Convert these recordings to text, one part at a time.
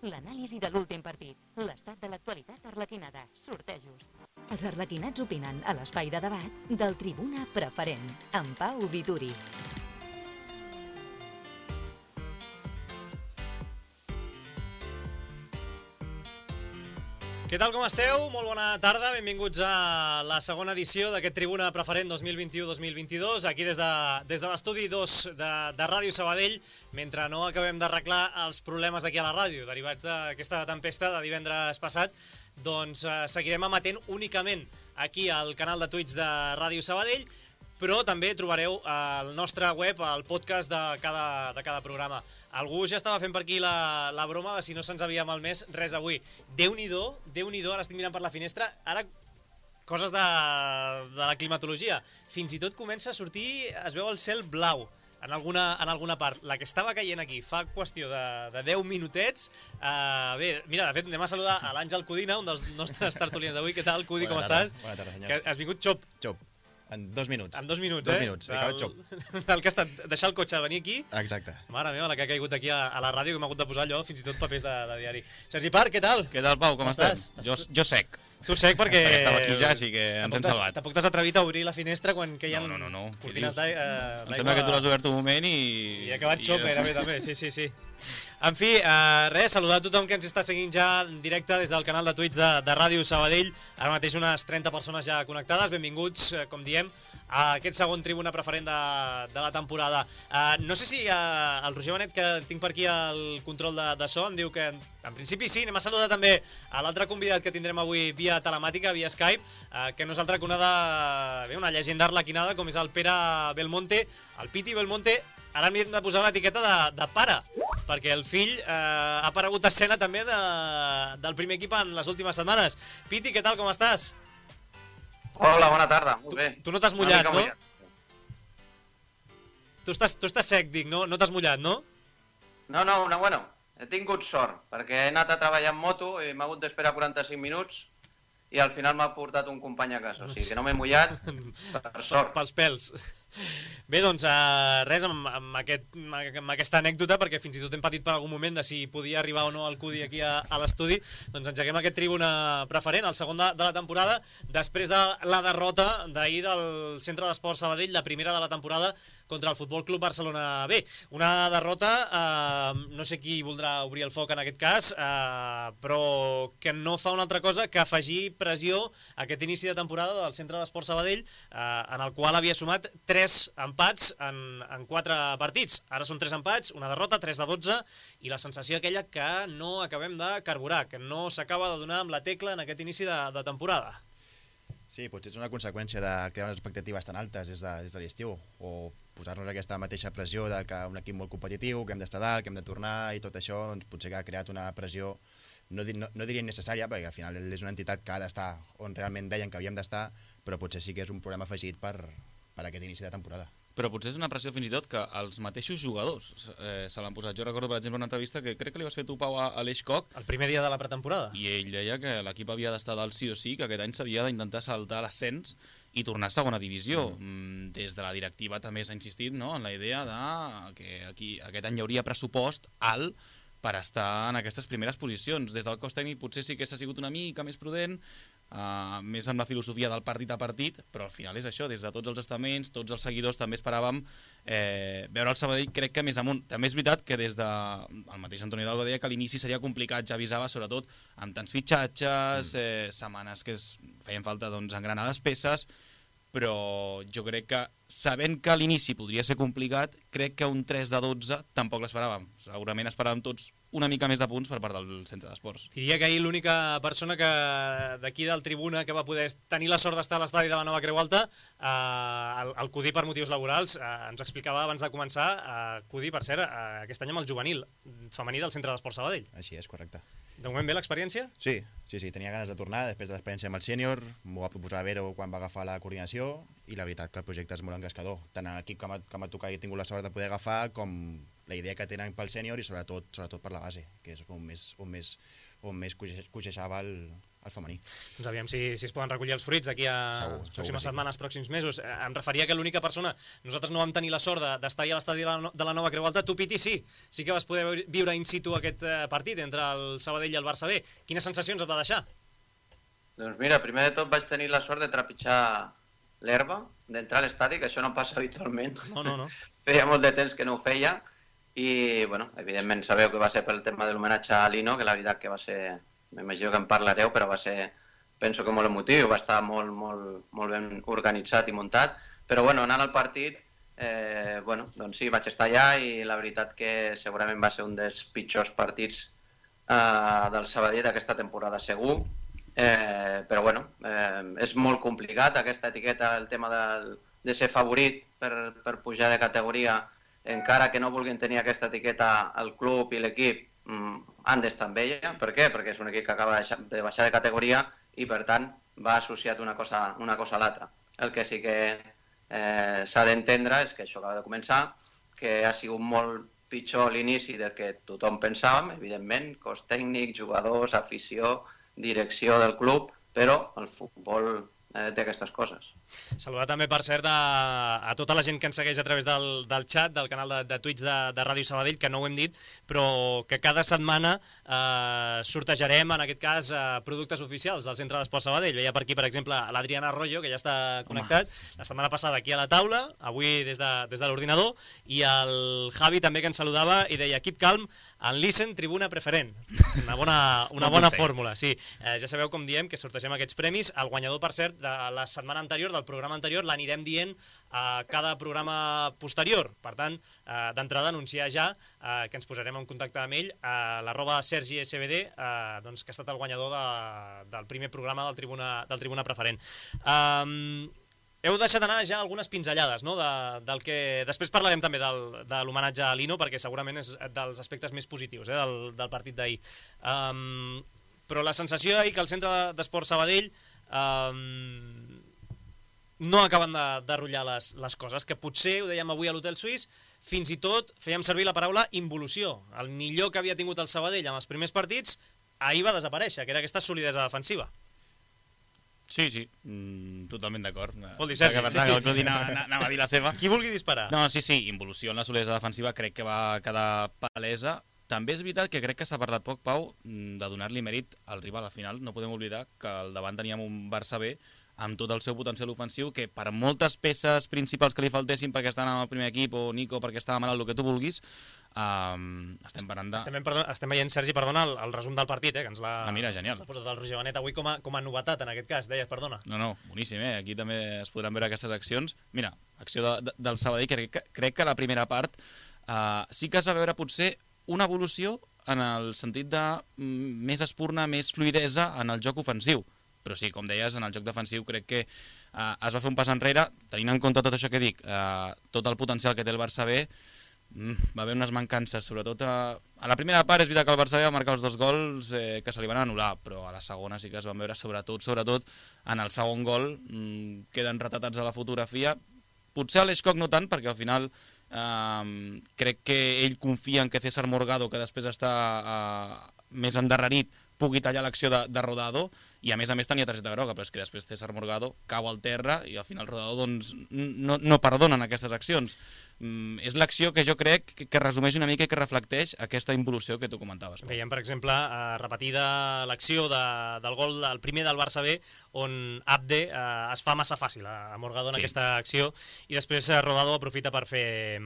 l'anàlisi de l'últim partit, l'estat de l'actualitat arlequinada, sortejos. Els arlequinats opinen a l'espai de debat del Tribuna Preferent, amb Pau Vituri. Què tal, com esteu? Molt bona tarda, benvinguts a la segona edició d'aquest Tribuna Preferent 2021-2022, aquí des de l'estudi 2 de Ràdio Sabadell, mentre no acabem d'arreglar els problemes aquí a la ràdio, derivats d'aquesta tempesta de divendres passat, doncs seguirem emetent únicament aquí al canal de Twitch de Ràdio Sabadell, però també trobareu al nostre web el podcast de cada programa. Algú ja estava fent per aquí la broma de si no se'ns havia malmès res avui. Déu-n'hi-do, ara estic mirant per la finestra, ara coses de la climatologia. Fins i tot comença a sortir, es veu el cel blau en alguna part. La que estava caient aquí fa qüestió de 10 minutets. Bé, mira, de fet, anem a saludar a l'Àngel Codina, un dels nostres tertulians d'avui. Què tal, Cudi, com estàs? Bona tarda, senyor. Has vingut xop. En 2 minuts. En 2 minuts, 2 minuts, he acabat xop. El que ha estat deixar el cotxe, venir aquí. Exacte. Mare meva, la que ha caigut aquí a la ràdio, que m'ha hagut de posar allò, fins i tot papers de diari. Sergi Parc, què tal? Què tal, Pau, com estàs? Jo sec. Tu sec perquè estava aquí ja, així que ens hem salvat. Tampoc t'has atrevit a obrir la finestra quan que hi ha No. cortines d'aigua. Em sembla que tu l'has obert un moment i... I ha acabat xop gairebé també, sí. En fi, res, saludar a tothom que ens està seguint ja en directe des del canal de Twitch de Ràdio Sabadell. Ara mateix unes 30 persones ja connectades. Benvinguts, com diem, a aquest segon Tribuna Preferent de la temporada. No sé si el Roger Benet, que tinc per aquí el control de so, em diu que en principi sí. Anem a saludar també a l'altre convidat que tindrem avui via telemàtica, via Skype, que no és altre que una llegenda arlequinada com és el Pere Belmonte, el Piti Belmonte. Ara hem de posar l'etiqueta de pare, perquè el fill ha aparegut a escena també del primer equip en les últimes setmanes. Piti, què tal, com estàs? Hola, bona tarda, molt bé. Tu no t'has mullat, no? Tu estàs sec, dic, no? No t'has mullat, no? No, bueno, he tingut sort, perquè he anat a treballar en moto i m'ha hagut d'esperar 45 minuts i al final m'ha portat un company a casa, o sigui que no m'he mullat per sort. Pels pèls. Bé, doncs res, amb aquesta anècdota, perquè fins i tot hem patit per algun moment de si podia arribar o no el Cudi aquí a l'estudi, doncs engeguem aquest Tribuna Preferent, el segon de la temporada, després de la derrota d'ahir del Centre d'Esport Sabadell, la primera de la temporada contra el Futbol Club Barcelona B. Una derrota, no sé qui voldrà obrir el foc en aquest cas, però que no fa una altra cosa que afegir pressió a aquest inici de temporada del Centre d'Esport Sabadell, en el qual havia sumat 3 empats en 4 partits. Ara són 3 empats, una derrota, 3 de 12, i la sensació aquella que no acabem de carburar, que no s'acaba de donar amb la tecla en aquest inici de temporada. Sí, potser és una conseqüència de crear unes expectatives tan altes des de l'estiu, o posar-nos aquesta mateixa pressió de que un equip molt competitiu, que hem d'estar dalt, que hem de tornar, i tot això doncs, potser que ha creat una pressió, no diria innecessària, perquè al final és una entitat que ha d'estar on realment deien que havíem d'estar, però potser sí que és un problema afegit per aquest inici de temporada. Però potser és una pressió fins i tot que els mateixos jugadors se l'han posat. Jo recordo, per exemple, una entrevista que crec que li vas fer tu, Pau, a Aleix Koch. El primer dia de la pretemporada. I ell deia que l'equip havia d'estar dalt sí o sí, que aquest any s'havia d'intentar saltar l'ascens i tornar a segona divisió. Des de la directiva també s'ha insistit, no?, en la idea que aquest any hi hauria pressupost alt per estar en aquestes primeres posicions. Des del cos tècnic potser sí que s'ha sigut una mica més prudent, més amb la filosofia del partit a partit, però al final és això, des de tots els estaments, tots els seguidors també esperàvem veure el Sabadell, crec que més amunt. També és veritat que des el mateix Antoni Hidalgo deia que l'inici seria complicat, ja avisava, sobretot amb tants fitxatges, setmanes que feien falta engranar les peces, però jo crec que, sabent que a l'inici podria ser complicat, crec que un 3 de 12 tampoc l'esperàvem. Segurament esperàvem tots una mica més de punts per part del Centre d'Esports. Diria que ahir l'única persona d'aquí del Tribuna que va poder tenir la sort d'estar a l'estadi de la Nova Creu Alta, el Cudi per motius laborals, ens explicava abans de començar, Cudi, per cert, aquest any amb el juvenil femení del Centre d'Esport Sabadell. Així és, correcte. De moment bé l'experiència? Sí, tenia ganes de tornar després de l'experiència amb el sènior, m'ho va proposar Vero quan va agafar la coordinació, i la veritat que el projecte és molt engrescador. Tant en l'equip que m'ha tocat i he tingut la sort de poder agafar, com la idea que tenen pel sènior i sobretot per la base, que és on més coixejava al femení. Doncs aviam si es poden recollir els fruits d'aquí a pròximes setmanes, pròxims mesos. Em referia que l'única persona, nosaltres no vam tenir la sort d'estar a l'estadi de la Nova Creu Alta, tu, Piti, sí que vas poder viure in situ aquest partit entre el Sabadell i el Barça B. Quines sensacions et va deixar? Doncs mira, primer de tot vaig tenir la sort de trepitjar l'herba, d'entrar a l'estadi, que això no passa habitualment. No. Feia molt de temps que no ho feia i, bueno, evidentment sabeu que va ser pel tema de l'homenatge a Lino, que la veritat que va ser, m'imagino que en parlareu, però va ser, penso que molt emotiu, va estar molt ben organitzat i muntat, però bueno, anant al partit, doncs sí, vaig estar allà i la veritat que segurament va ser un dels pitjors partits del Sabadell d'aquesta temporada segur, però bueno, és molt complicat aquesta etiqueta, el tema de ser favorit per pujar de categoria, encara que no vulguin tenir aquesta etiqueta el club i l'equip, han d'estar amb ella. Per què? Perquè és un equip que acaba de baixar de categoria i per tant va associat una cosa a l'altra. El que sí que s'ha d'entendre és que això acaba de començar, que ha sigut molt pitjor l'inici del que tothom pensàvem, evidentment, cos tècnic, jugadors, afició, direcció del club, però el futbol té aquestes coses. Saludar també, per cert, a tota la gent que ens segueix a través del xat, del canal de Twitch de Ràdio Sabadell, que no ho hem dit, però que cada setmana sortejarem, en aquest cas, productes oficials del Centre d'Esport Sabadell. Veia per aquí, per exemple, l'Adriana Arroyo, que ja està connectat, la setmana passada aquí a la taula, avui des de l'ordinador, i el Javi també, que ens saludava i deia: keep calm and listen, tribuna preferent. Una bona fórmula, sí. Ja sabeu com diem que sortegem aquests premis. El guanyador, per cert, de la setmana anterior, del programa anterior, l'anirem dient a cada programa posterior. Per tant, d'entrada, anunciar ja que ens posarem en contacte amb ell a @SergiSBD, que ha estat el guanyador del primer programa del Tribuna Preferent. Heu deixat anar ja algunes pinzellades, no? Del que després parlarem també de l'homenatge a Lino, perquè segurament és dels aspectes més positius del partit d'ahir. Però la sensació d'ahir que el Centre d'Esport Sabadell no acaben de rotllar les coses, que potser, ho dèiem avui a l'Hotel Suís, fins i tot fèiem servir la paraula involució. El millor que havia tingut el Sabadell en els primers partits, ahir va desaparèixer, que era aquesta solidesa defensiva. Sí, totalment d'acord. Vol dir, Sergi, sí. El Clodi anava a dir la seva. Qui vulgui disparar. No, sí, involució en la solidesa defensiva crec que va quedar palesa. També és veritat que crec que s'ha parlat poc, Pau, de donar-li mèrit al rival. Al final no podem oblidar que al davant teníem un Barça B amb tot el seu potencial ofensiu, que per moltes peces principals que li faltessin perquè estan en el primer equip, o Nico perquè estava malalt, el que tu vulguis, estem parlant de... Estem veient, Sergi, perdona, el resum del partit, que ens l'ha... mira, genial. L'ha posat el Roger Benet avui com a novetat, en aquest cas, deies, perdona. No, boníssim, aquí també es podran veure aquestes accions. Mira, acció del Sabadell, crec que la primera part sí que es va veure potser una evolució en el sentit de més espurna, més fluidesa en el joc ofensiu. Però sí, com deies, en el joc defensiu crec que es va fer un pas enrere, tenint en compte tot això que dic, tot el potencial que té el Barça B, va haver unes mancances, sobretot a la primera part. És veritat que el Barça B va marcar els 2 gols que se li van anul·lar, però a la segona sí que es van veure sobretot en el segon gol, queden retratats a la fotografia. Potser a l'Eixcock no tant, perquè al final crec que ell confia en que César Morgado, que després està més endarrerit, pugui tallar l'acció de Rodado, i a més tenia targeta groga, però és que després César Morgado cau al terra i al final Rodado doncs, no perdona en aquestes accions. És l'acció que jo crec que resumeix una mica i que reflecteix aquesta involució que tu comentaves. Veiem, per exemple, repetida l'acció del gol, el primer del Barça B, on Abde es fa massa fàcil a Morgado en aquesta acció, i després Rodado aprofita per fer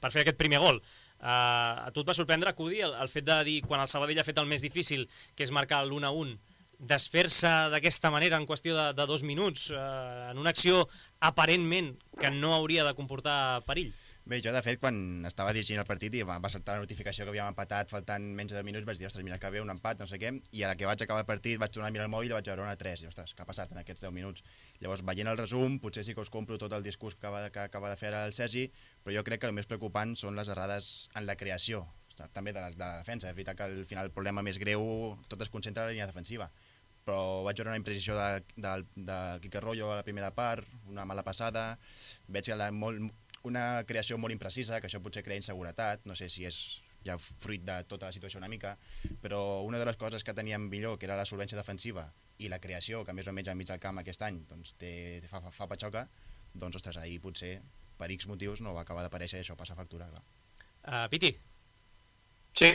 aquest primer gol. A tu et va sorprendre, Cudi, el fet de dir, quan el Sabadell ha fet el més difícil, que és marcar l'1-1, desfer-se d'aquesta manera en qüestió de 2 minuts, en una acció aparentment que no hauria de comportar perill? Bé, jo de fet quan estava dirigint el partit i va saltar la notificació que havíem empatat faltant menys de 10 minuts, vaig dir, ostres, mira que bé, un empat, no sé què, i a la que vaig acabar el partit vaig tornar a mirar el mòbil i vaig veure una 3, i ostres, què ha passat en aquests 10 minuts? Llavors, veient el resum, potser sí que us compro tot el discurs que acaba de fer el Sergi, però jo crec que el més preocupant són les errades en la creació, també de la defensa. És veritat que al final el problema més greu tot es concentra en la línia defensiva, però vaig veure una imprecisió de Quique Arroyo a la primera part, una mala passada, veig que una creació molt imprecisa, que això potser crea inseguretat, no sé si és ja fruit de tota la situació una mica, però una de les coses que teníem millor, que era la solvència defensiva i la creació, que més o menys enmig del camp aquest any doncs, fa patxoca, doncs ostres, ahir potser per X motius no va acabar d'aparèixer i això passa factura, clar. Piti, Sí,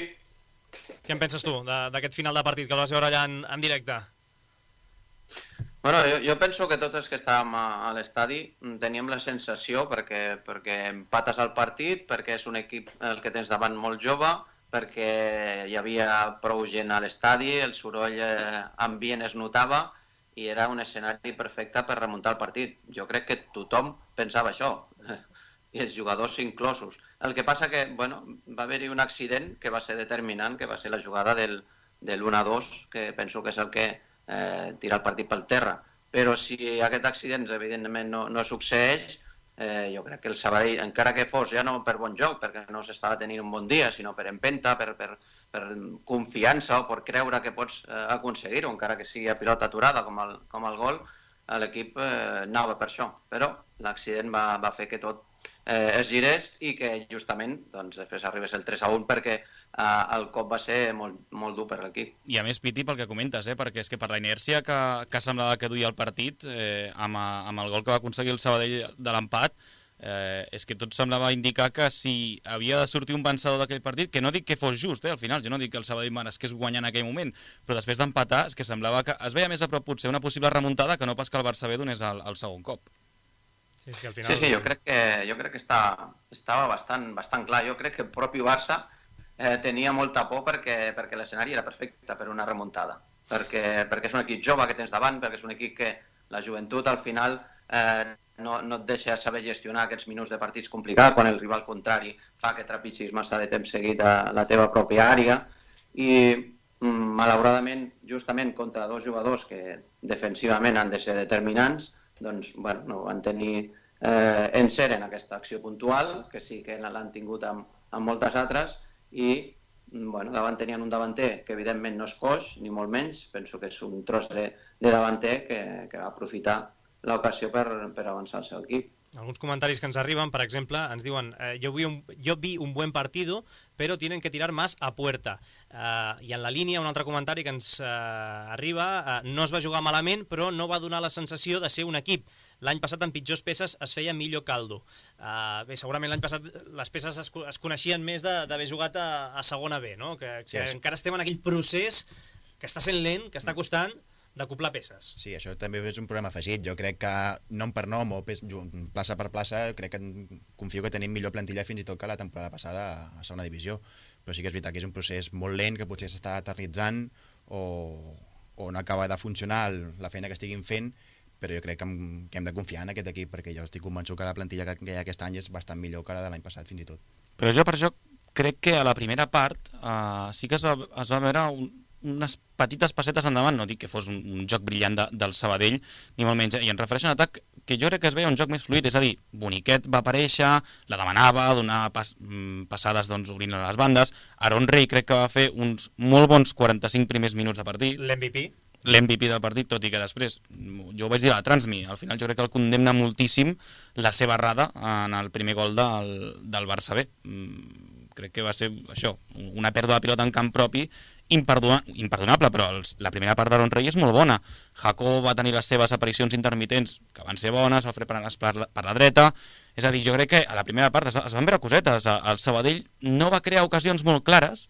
què en penses tu d'aquest final de partit que el vas veure allà en directe? bueno, jo penso que tots els que estàvem a l'estadi teníem la sensació, perquè empates al partit, perquè és un equip el que tens davant molt jove, perquè hi havia prou gent a l'estadi, el soroll ambient es notava i era un escenari perfecte per remuntar el partit. Jo crec que tothom pensava això, i els jugadors inclosos. El que passa que bueno, va haver-hi un accident que va ser determinant, que va ser la jugada del 1-2, que penso que és el que tira el partit pel terra. Però si aquest accident evidentment no succeeix, jo crec que el Sabadell, encara que fos ja no per bon joc, perquè no s'estava tenint un bon dia, sinó per empenta, per confiança o per creure que pots aconseguir-ho, encara que sigui a pilota aturada com el gol, l'equip anava per això. Però l'accident va fer que tot es girés i que justament doncs, després arribés el 3-1 perquè el cop va ser molt dur per l'equip. I a més, Piti, pel que comentes, perquè és que per la inèrcia que semblava que duia el partit, amb el gol que va aconseguir el Sabadell de l'empat, és que tot semblava indicar que si havia de sortir un vencedor d'aquell partit, que no dic que fos just, al final, jo no dic que el Sabadell meresqués guanyar en aquell moment, però després d'empatar és que semblava que es veia més a prop potser una possible remuntada que no pas que el Barça B donés el segon cop. Sí, és que al final... Sí, jo crec que estava bastant clar. Jo crec que el propi Barça tenia molta por perquè l'escenari era perfecte per una remuntada. Perquè és un equip jove que tens davant, perquè és un equip que la joventut al final no et deixa saber gestionar aquests minuts de partits complicats quan el rival contrari fa que trepitgis massa de temps seguit a la teva pròpia àrea. I malauradament, justament contra dos jugadors que defensivament han de ser determinants, doncs, bueno, no van tenir encert en aquesta acció puntual, que sí que l'han tingut amb moltes altres, i bueno, davant tenien un davanter que evidentment no és coix, ni molt menys, penso que és un tros de davanter que va aprofitar l'ocasió per avançar el seu equip. Alguns comentaris que ens arriben, per exemple, ens diuen yo vi un buen partido, pero tienen que tirar más a puerta. I en la línia, un altre comentari que ens arriba, no es va jugar malament, però no va donar la sensació de ser un equip. L'any passat amb pitjors peces es feia millor caldo. Bé, segurament l'any passat les peces es coneixien més d'haver jugat a segona B, no? Que encara estem en aquell procés que està sent lent, que està costant, d'acoplar peces. Sí, això també és un problema afegit. Jo crec que nom per nom o plaça per plaça, confio que tenim millor plantilla fins i tot que la temporada passada a segona divisió. Però sí que és veritat que és un procés molt lent, que potser s'està eternitzant o no acaba de funcionar la feina que estiguin fent, però jo crec que hem de confiar en aquest equip, perquè jo estic convençut que la plantilla que hi ha aquest any és bastant millor que la de l'any passat fins i tot. Però jo per això crec que a la primera part sí que es va veure unes petites passetes endavant, no dic que fos un joc brillant del Sabadell, ni molt menys, i em refereixo a un atac que jo crec que es veia un joc més fluid, és a dir, Boniquet va aparèixer, la demanava, donava passades doncs, obrint a les bandes, Aaron Rey crec que va fer uns molt bons 45 primers minuts de partit. L'MVP del partit, tot i que després, jo ho vaig dir a la Transmi, al final jo crec que el condemna moltíssim la seva errada en el primer gol del Barça B. Crec que va ser això, una pèrdua de pilota en camp propi imperdonable, però la primera part d'Aaron Rey és molt bona. Jacob va tenir les seves aparicions intermitents que van ser bones, Alfred Planas per la dreta, és a dir, jo crec que a la primera part es van veure cosetes, el Sabadell no va crear ocasions molt clares,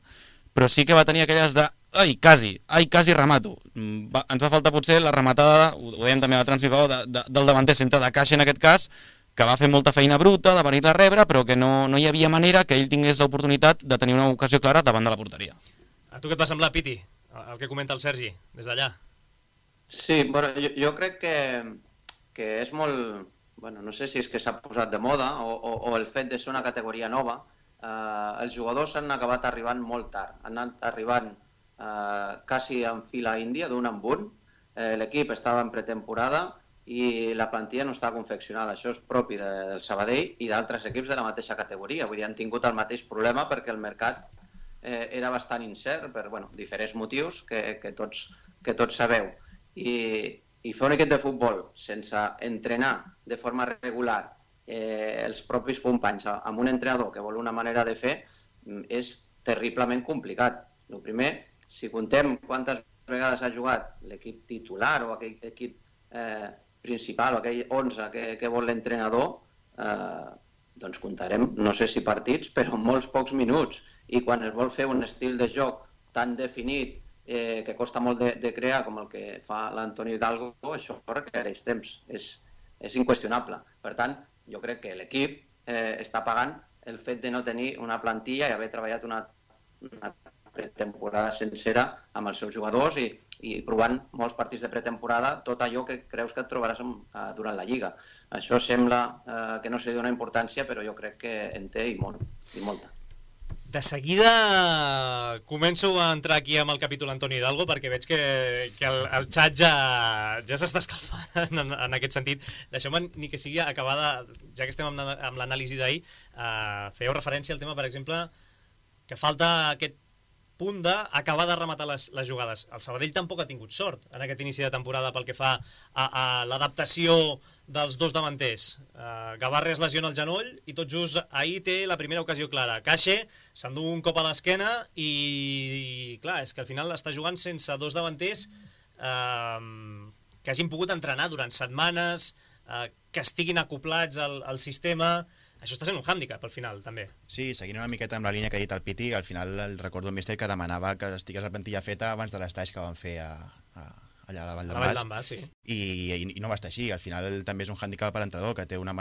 però sí que va tenir aquelles de ai, quasi remato. Ens va faltar potser la rematada, ho dèiem també a la Transmipau, del davanter centre de caixa en aquest cas, que va fer molta feina bruta de venir a rebre, però que no hi havia manera que ell tingués l'oportunitat de tenir una ocasió clara davant de la porteria. A tu què et va semblar, Piti, el que comenta el Sergi, des d'allà? Sí, bueno, jo crec que és molt... Bueno, no sé si és que s'ha posat de moda o el fet de ser una categoria nova. Els jugadors han acabat arribant molt tard. Han anat arribant quasi en fila índia, d'un en un. L'equip estava en pretemporada i la plantilla no estava confeccionada. Això és propi del Sabadell i d'altres equips de la mateixa categoria. Vull dir, han tingut el mateix problema perquè el mercat era bastant incert per diferents motius que tots sabeu. I fer un equip de futbol sense entrenar de forma regular els propis companys amb un entrenador que vol una manera de fer és terriblement complicat. El primer, si contem quantes vegades ha jugat l'equip titular o aquell equip principal o aquell 11 que vol l'entrenador, doncs comptarem, no sé si partits, però molts pocs minuts. I quan es vol fer un estil de joc tan definit que costa molt de crear com el que fa l'Antonio Hidalgo, això requereix temps, és inqüestionable. Per tant, jo crec que l'equip està pagant el fet de no tenir una plantilla i haver treballat una pretemporada sencera amb els seus jugadors i provant molts partits de pretemporada tot allò que creus que et trobaràs durant la Lliga. Això sembla que no se li dona importància, però jo crec que en té i molta. De seguida començo a entrar aquí amb el capítol Antonio Hidalgo perquè veig que el xat ja s'està escalfant en aquest sentit. Deixeu-me ni que sigui acabada, ja que estem amb l'anàlisi d'ahir, fèieu referència al tema, per exemple, que falta aquest punt d'acabar de rematar les jugades. El Sabadell tampoc ha tingut sort en aquest inici de temporada pel que fa a l'adaptació dels dos davanters. Gavarra es lesiona el genoll i tot just ahir té la primera ocasió clara. Caixe s'endú un cop a l'esquena i clar, és que al final està jugant sense dos davanters que hagin pogut entrenar durant setmanes, que estiguin acoplats al sistema. Això està sent un hàndicap al final, també. Sí, seguint una miqueta amb la línia que ha dit el Piti, al final el recordo el míster que demanava que estigués la plantilla feta abans de l'estaix que van fer allà a la Vall d'en Bas. Sí. I no va estar així. Al final també és un hàndicap per l'entrenador, que té una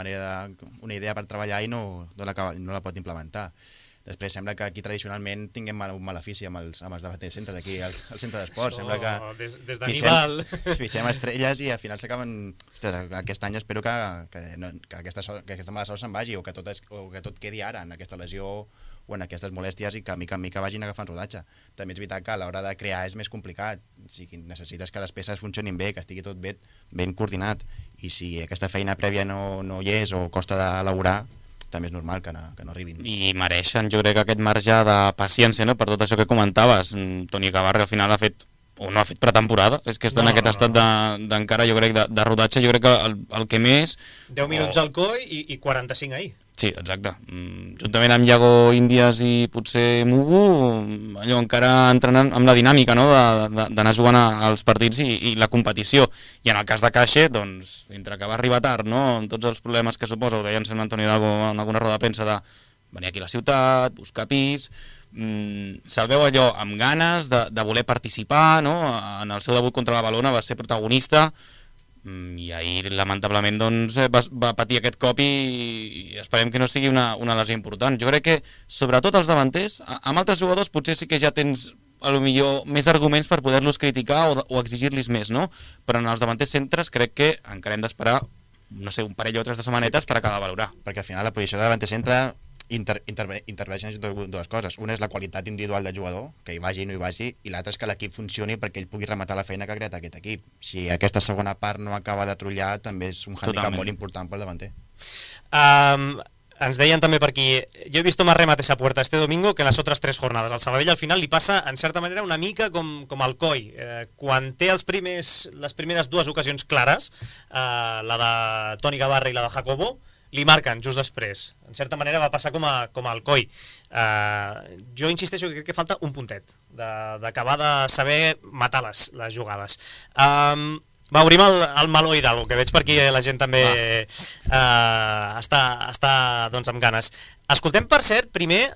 idea per treballar i no la pot implementar. Després sembla que aquí tradicionalment tinguem un malefici amb els davanters centres, aquí al centre d'esports. Sembla que des d'Aníbal fitxem estrelles i al final s'acaben... Aquest any espero que aquesta mala sort se'n vagi o que tot quedi ara en aquesta lesió o en aquestes molèsties i que mica en mica vagin agafant rodatge. També és veritat que a l'hora de crear és més complicat. O sigui, necessites que les peces funcionin bé, que estigui tot ben coordinat, i si aquesta feina prèvia no hi és o costa d'elaborar, també és normal que no arribin. I mereixen, jo crec, aquest marge de paciència, no?, per tot això que comentaves. Toni Gavarra al final ha fet, o no ha fet pretemporada, és que està en aquest estat d'encara, jo crec, de rodatge. Jo crec que el que més... 10 minuts al COI i 45 ahir. Sí, exacte. Juntament amb Iago Índies i potser Mugu, allò encara entrenant amb la dinàmica, no?, d'anar jugant als partits i la competició. I en el cas de Caixe, doncs, entre que va arribar tard, no?, amb tots els problemes que suposa, ho deia en Antonio Hidalgo en alguna roda de premsa, de venir aquí a la ciutat, buscar pis, se'l veu allò amb ganes de voler participar, no?, en el seu debut contra la Valona va ser protagonista, i ahir lamentablement doncs, va patir aquest cop i esperem que no sigui una lesió important. Jo crec que sobretot els davanters, amb altres jugadors potser sí que ja tens a lo millor més arguments per poder-los criticar o exigir-los més, no? Però en els davanters centres crec que encara hem d'esperar, no sé, un parell o tres de setmanetes per acabar de valorar. Perquè al final la posició de davanter centre interveixen dues coses. Una és la qualitat individual del jugador, que hi vagi o no hi vagi, i l'altra és que l'equip funcioni perquè ell pugui rematar la feina que ha creat aquest equip. Si aquesta segona part no acaba de trullar, també és un hàndicap molt important pel davanter. Ens deien també per aquí, yo he visto más remates a puerta este domingo que en las otras 3 jornadas. Al Sabadell al final li passa, en certa manera, una mica com al COI. Quan té les primeres 2 ocasions clares, la de Toni Gavarra i la de Jacobo, li marquen just després. En certa manera va passar com al COI. Jo insisteixo que crec que falta un puntet d'acabar de saber matar les jugades. Va, obrim el meló Hidalgo, que veig per aquí la gent també està doncs, amb ganes. Escoltem, per cert, primer,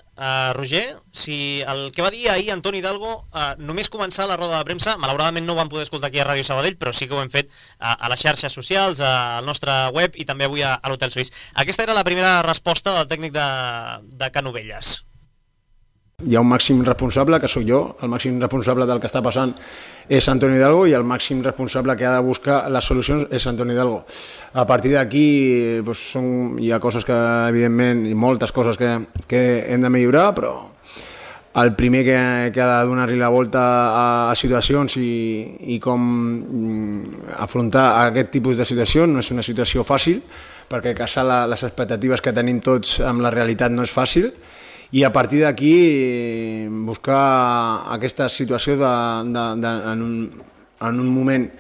Roger, si el que va dir ahir Antoni Hidalgo, només començar la roda de premsa, malauradament no ho vam poder escoltar aquí a Ràdio Sabadell, però sí que ho hem fet a les xarxes socials, al nostre web i també avui a l'Hotel Suís. Aquesta era la primera resposta del tècnic de Canovelles. Hi ha un màxim responsable, que sóc jo, el màxim responsable del que està passant és Antonio Hidalgo i el màxim responsable que ha de buscar les solucions és Antonio Hidalgo. A partir d'aquí doncs, hi ha coses que, evidentment, i moltes coses que hem de millorar, però el primer que ha de donar-li la volta a situacions i com afrontar aquest tipus de situacions no és una situació fàcil, perquè casar les expectatives que tenim tots amb la realitat no és fàcil, i a partir d'aquí buscar aquesta situació en un moment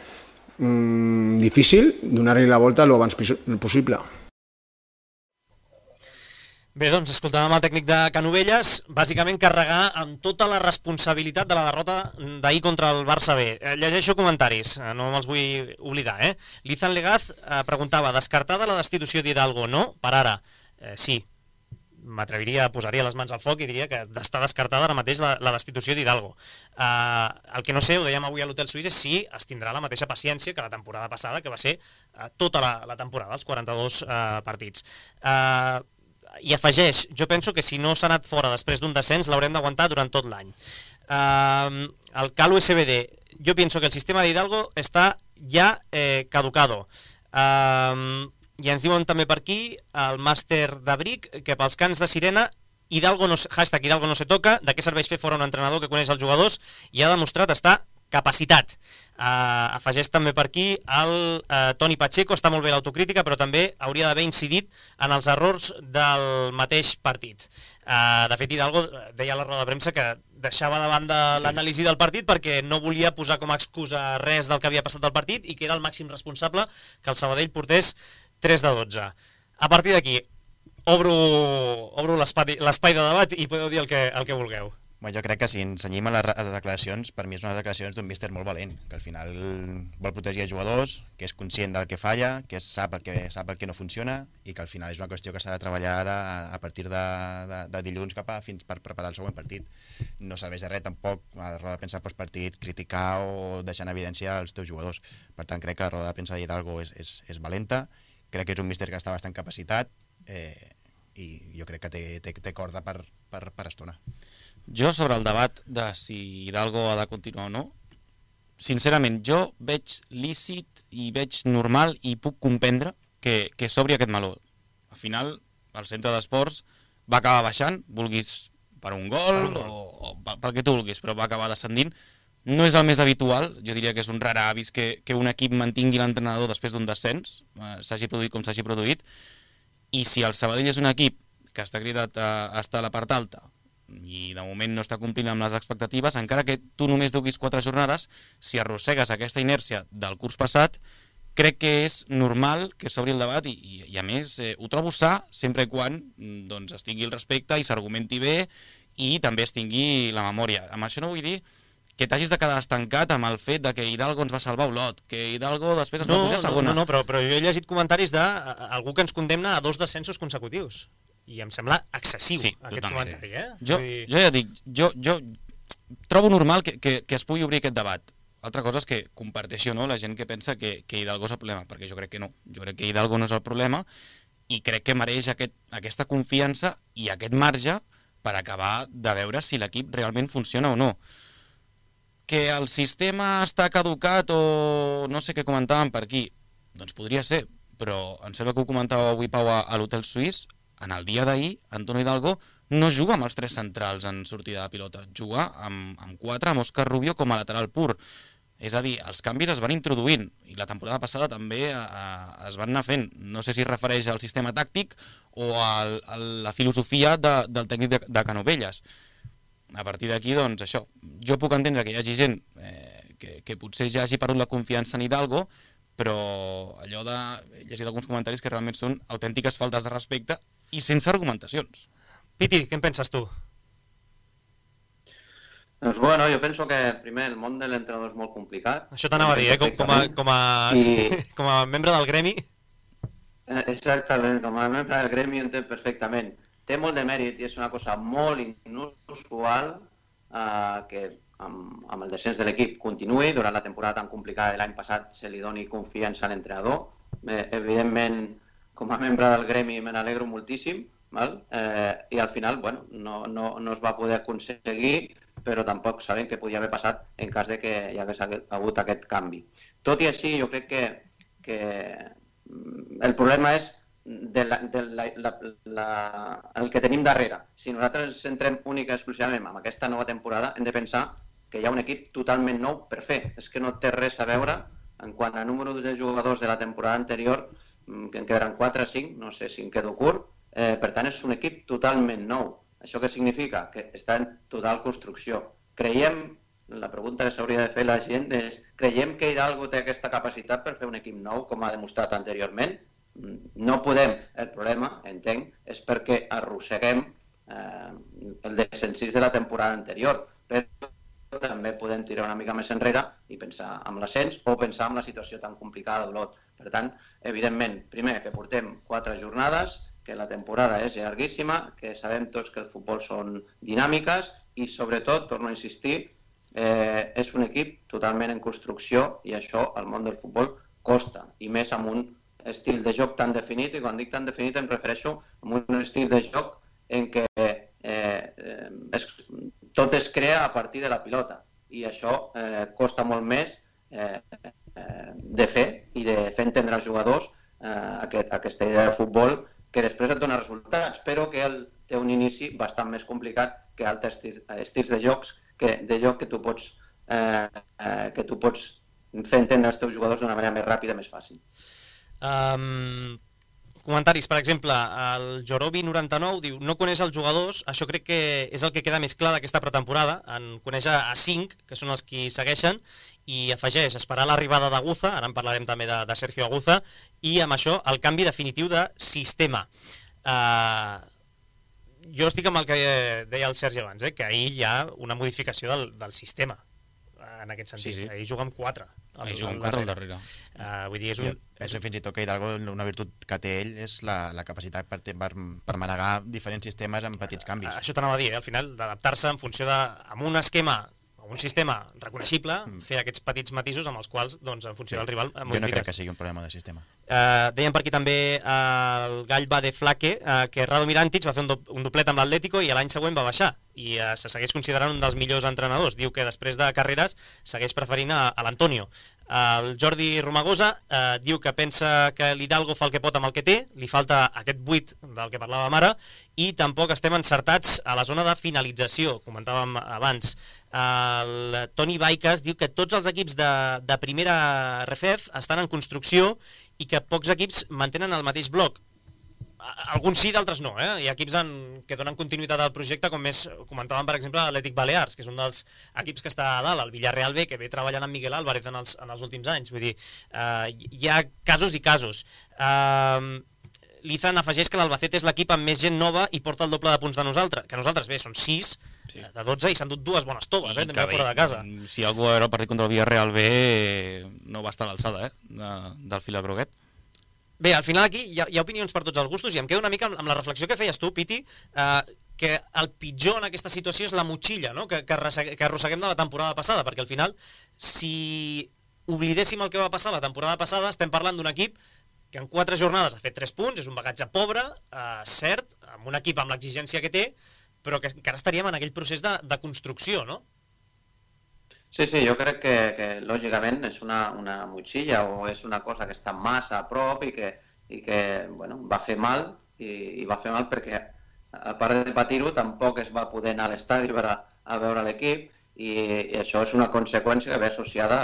difícil, donar-li la volta el abans possible. Bé, doncs escoltàvem el tècnic de Canovelles, bàsicament carregar amb tota la responsabilitat de la derrota d'ahir contra el Barça B. Llegeixo comentaris, no me'ls vull oblidar. Lizan Legaz preguntava, descartada la destitució d'Hidalgo? No, per ara. Sí, posaria les mans al foc i diria que està descartada ara mateix la destitució d'Hidalgo. El que no sé, ho dèiem avui a l'Hotel Suís, és si es tindrà la mateixa paciència que la temporada passada, que va ser tota la temporada, els 42 partits. I afegeix, jo penso que si no s'ha anat fora després d'un descens l'haurem d'aguantar durant tot l'any. El Cal USBD, jo penso que el sistema d'Hidalgo està ja caducado. I ens diuen també per aquí el màster d'Abric que pels cants de sirena Hidalgo no se toca, de què serveix fer fora un entrenador que coneix els jugadors i ha demostrat estar capacitat. Afegeix també per aquí el Toni Pacheco, està molt bé l'autocrítica, però també hauria d'haver incidit en els errors del mateix partit. De fet, Hidalgo deia a la roda de premsa que deixava de banda l'anàlisi del partit perquè no volia posar com a excusa res del que havia passat al partit i que era el màxim responsable que el Sabadell portés 3 de 12. A partir d'aquí, obro l'espai de debat i podeu dir el que vulgueu. Jo crec que si ens cenyim a les declaracions, per mi és unes declaracions d'un míster molt valent, que al final vol protegir els jugadors, que és conscient del que falla, que sap el que no funciona i que al final és una qüestió que s'ha de treballar a partir de dilluns fins per preparar el següent partit. No serveix de res tampoc a la roda de premsa postpartit criticar o deixar en evidència els teus jugadors. Per tant, crec que la roda de premsa d'Hidalgo és valenta, crec que és un míster que està bastant capacitat i jo crec que té corda per estona. Jo, sobre el debat de si Hidalgo ha de continuar o no, sincerament, jo veig lícit i veig normal i puc comprendre que s'obri aquest meló. Al final, el centre d'esports va acabar baixant, vulguis per un gol o pel que tu vulguis, però va acabar descendint. No és el més habitual, jo diria que és un rar avis que un equip mantingui l'entrenador després d'un descens, s'hagi produït com s'hagi produït, i si el Sabadell és un equip que està cridat a estar a la part alta i de moment no està complint amb les expectatives, encara que tu només duguis 4 jornades, si arrossegues aquesta inèrcia del curs passat, crec que és normal que s'obri el debat i a més ho trobo sa sempre quan es tingui el respecte i s'argumenti bé i també es tingui la memòria. Amb això no vull dir que t'hagis de quedar estancat amb el fet de que Hidalgo ens va salvar Olot, que Hidalgo després ens va pujar a segona. No, però jo he llegit comentaris d'algú que ens condemna a 2 descensos consecutius. I em sembla excessiu aquest comentari. Jo ja dic, jo trobo normal que es pugui obrir aquest debat. Altra cosa és que comparteixi o no la gent que pensa que Hidalgo és el problema, perquè jo crec que no. Jo crec que Hidalgo no és el problema i crec que mereix aquesta confiança i aquest marge per acabar de veure si l'equip realment funciona o no. Que el sistema està caducat o no sé què comentàvem per aquí, doncs podria ser, però em sembla que ho comentava avui Pau a l'Hotel Suís. En el dia d'ahir, Antonio Hidalgo no juga amb els 3 centrals en sortida de pilota, juga amb 4, amb Òscar Rubio com a lateral pur. És a dir, els canvis es van introduint i la temporada passada també es van anar fent. No sé si es refereix al sistema tàctic o a la filosofia del tècnic de Canovelles. A partir d'aquí, doncs això, jo puc entendre que hi hagi gent que potser ja hagi perdut la confiança en Hidalgo, però allò de llegir alguns comentaris que realment són autèntiques faltes de respecte i sense argumentacions. Piti, què en penses tu? Doncs bueno, jo penso que primer el món de l'entrenador és molt complicat. Això t'anava a dir, com a membre del gremi. Exactament, com a membre del gremi ho entenc perfectament. Té molt de mèrit i és una cosa molt inusual que amb el descens de l'equip continuï. Durant la temporada tan complicada de l'any passat se li doni confiança a l'entrenador. Evidentment, com a membre del gremi me n'alegro moltíssim, i al final no es va poder aconseguir, però tampoc sabem què podia haver passat en cas de que hi hagués hagut aquest canvi. Tot i així, jo crec que el problema és el que tenim darrere. Si nosaltres ens centrem únicament exclusivament en aquesta nova temporada, hem de pensar que hi ha un equip totalment nou per fer. És que no té res a veure en quant a número de jugadors de la temporada anterior, que en quedaran 4 o 5, no sé si em quedo curt. Per tant, és un equip totalment nou. Això què significa? Que està en total construcció. La pregunta que s'hauria de fer la gent és: creiem que Hidalgo té aquesta capacitat per fer un equip nou, com ha demostrat anteriorment? no podem, el problema, entenc, és perquè arrosseguem el descensís de la temporada anterior, però també podem tirar una mica més enrere i pensar en l'ascens o pensar en la situació tan complicada d'Olot. Per tant, evidentment, primer, que portem 4 jornades, que la temporada és llarguíssima, que sabem tots que el futbol són dinàmiques i, sobretot, torno a insistir, és un equip totalment en construcció i això al món del futbol costa, i més amb un estil de joc tan definit, i quan dic tan definit em refereixo a un estil de joc en què tot es crea a partir de la pilota i això costa molt més de fer i de fer entendre als jugadors aquesta idea de futbol que després et dona resultats, però que té un inici bastant més complicat que altres estils de joc que tu pots fer entendre als teus jugadors d'una manera més ràpida i més fàcil. Comentaris, per exemple, el Jorobi99 diu: no coneix els jugadors, això crec que és el que queda més clar d'aquesta pretemporada, en coneix a 5, que són els que segueixen, i afegeix esperar l'arribada d'Aguza, ara en parlarem també de Sergio Aguza, i amb això el canvi definitiu de sistema. Jo estic amb el que deia el Sergi abans, que ahir hi ha una modificació del sistema, en aquest sentit. Sí. Ahir juga amb 4. Ahir juga amb 4 al darrere. Vull dir, és un... Penso fins i tot que Hidalgo, una virtut que té ell és la capacitat per manegar diferents sistemes amb petits canvis. Això t'anava a dir, al final, d'adaptar-se en funció amb un esquema, un sistema reconeixible, fer aquests petits matisos amb els quals, doncs, en funció del rival, modifiques. Jo no crec que sigui un problema de sistema. Deien per aquí també el Gall va de Flaque que Radomir Antic va fer un doblet amb l'Atlético i l'any següent va baixar i se segueix considerant un dels millors entrenadors. Diu que després de carreres segueix preferint a l'Antonio. El Jordi Romagosa diu que pensa que l'Hidalgo fa el que pot amb el que té, li falta aquest buit del que parlàvem ara i tampoc estem encertats a la zona de finalització, comentàvem abans. El Toni Baikas diu que tots els equips de primera RFEF estan en construcció i que pocs equips mantenen el mateix bloc. Alguns sí, d'altres no. Hi ha equips que donen continuïtat al projecte, com més comentàvem, per exemple, l'Atlètic Balears, que és un dels equips que està a dalt, el Villarreal B, que ve treballant amb Miguel Álvarez en els últims anys. Vull dir, hi ha casos i casos. L'Izan afegeix que l'Albacete és l'equip amb més gent nova i porta el doble de punts que nosaltres. Bé, són 6 de 12 i s'han dut 2 bones toves, també fora de casa. Si algú era el partit contra el Villarreal B, no va estar a l'alçada del fila groguet. Bé, al final aquí hi ha opinions per tots els gustos i em quedo una mica amb la reflexió que feies tu, Piti, que el pitjor en aquesta situació és la motxilla, no? que arrosseguem de la temporada passada, perquè al final, si oblidéssim el que va passar la temporada passada, estem parlant d'un equip que en 4 jornades ha fet 3 punts, és un bagatge pobre, cert, amb un equip amb l'exigència que té, però que encara estaríem en aquell procés de construcció, no? Sí, jo crec que lògicament és una motxilla o és una cosa que està massa a prop i que va fer mal i va fer mal perquè a part de patir-ho tampoc es va poder anar a l'estadi a veure l'equip i això és una conseqüència que ve associada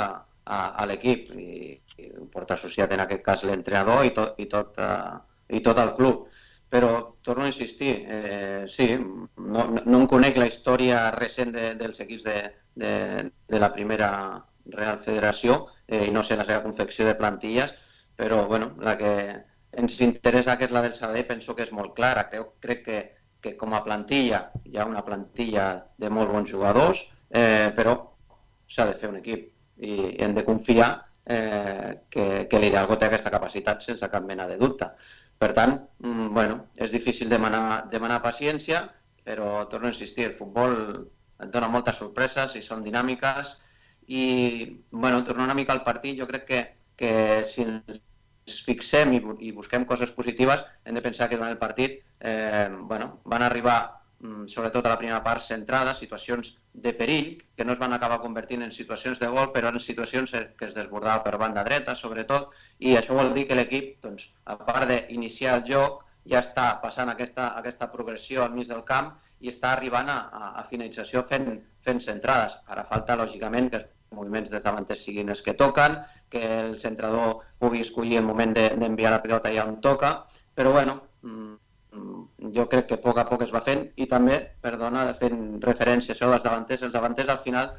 a l'equip i ho porta associat en aquest cas l'entrenador i tot el club. Però torno a insistir, sí, no em conec la història recent dels equips de la primera Real Federació i no sé la seva confecció de plantilles, però la que ens interessa, que és la del Sabadell, penso que és molt clara. Crec que com a plantilla hi ha una plantilla de molt bons jugadors, però s'ha de fer un equip i hem de confiar que l'Hidalgo té aquesta capacitat sense cap mena de dubte. Per tant, és difícil demanar paciència, però torno a insistir, el futbol et dona moltes sorpreses i són dinàmiques i, tornant una mica al partit, jo crec que si ens fixem i busquem coses positives, hem de pensar que durant el partit van arribar, sobretot a la primera part, centrades, situacions de perill, que no es van acabar convertint en situacions de gol, però en situacions que es desbordava per banda dreta, sobretot, i això vol dir que l'equip, a part d'iniciar el joc, ja està passant aquesta progressió al mig del camp i està arribant a finalització fent centrades. Ara falta, lògicament, que els moviments dels davanters siguin els que toquen, que el centrador pugui escollir el moment d'enviar la pilota ja on toca, però jo crec que a poc es va fent i també, fent referència a això dels davanters, els davanters al final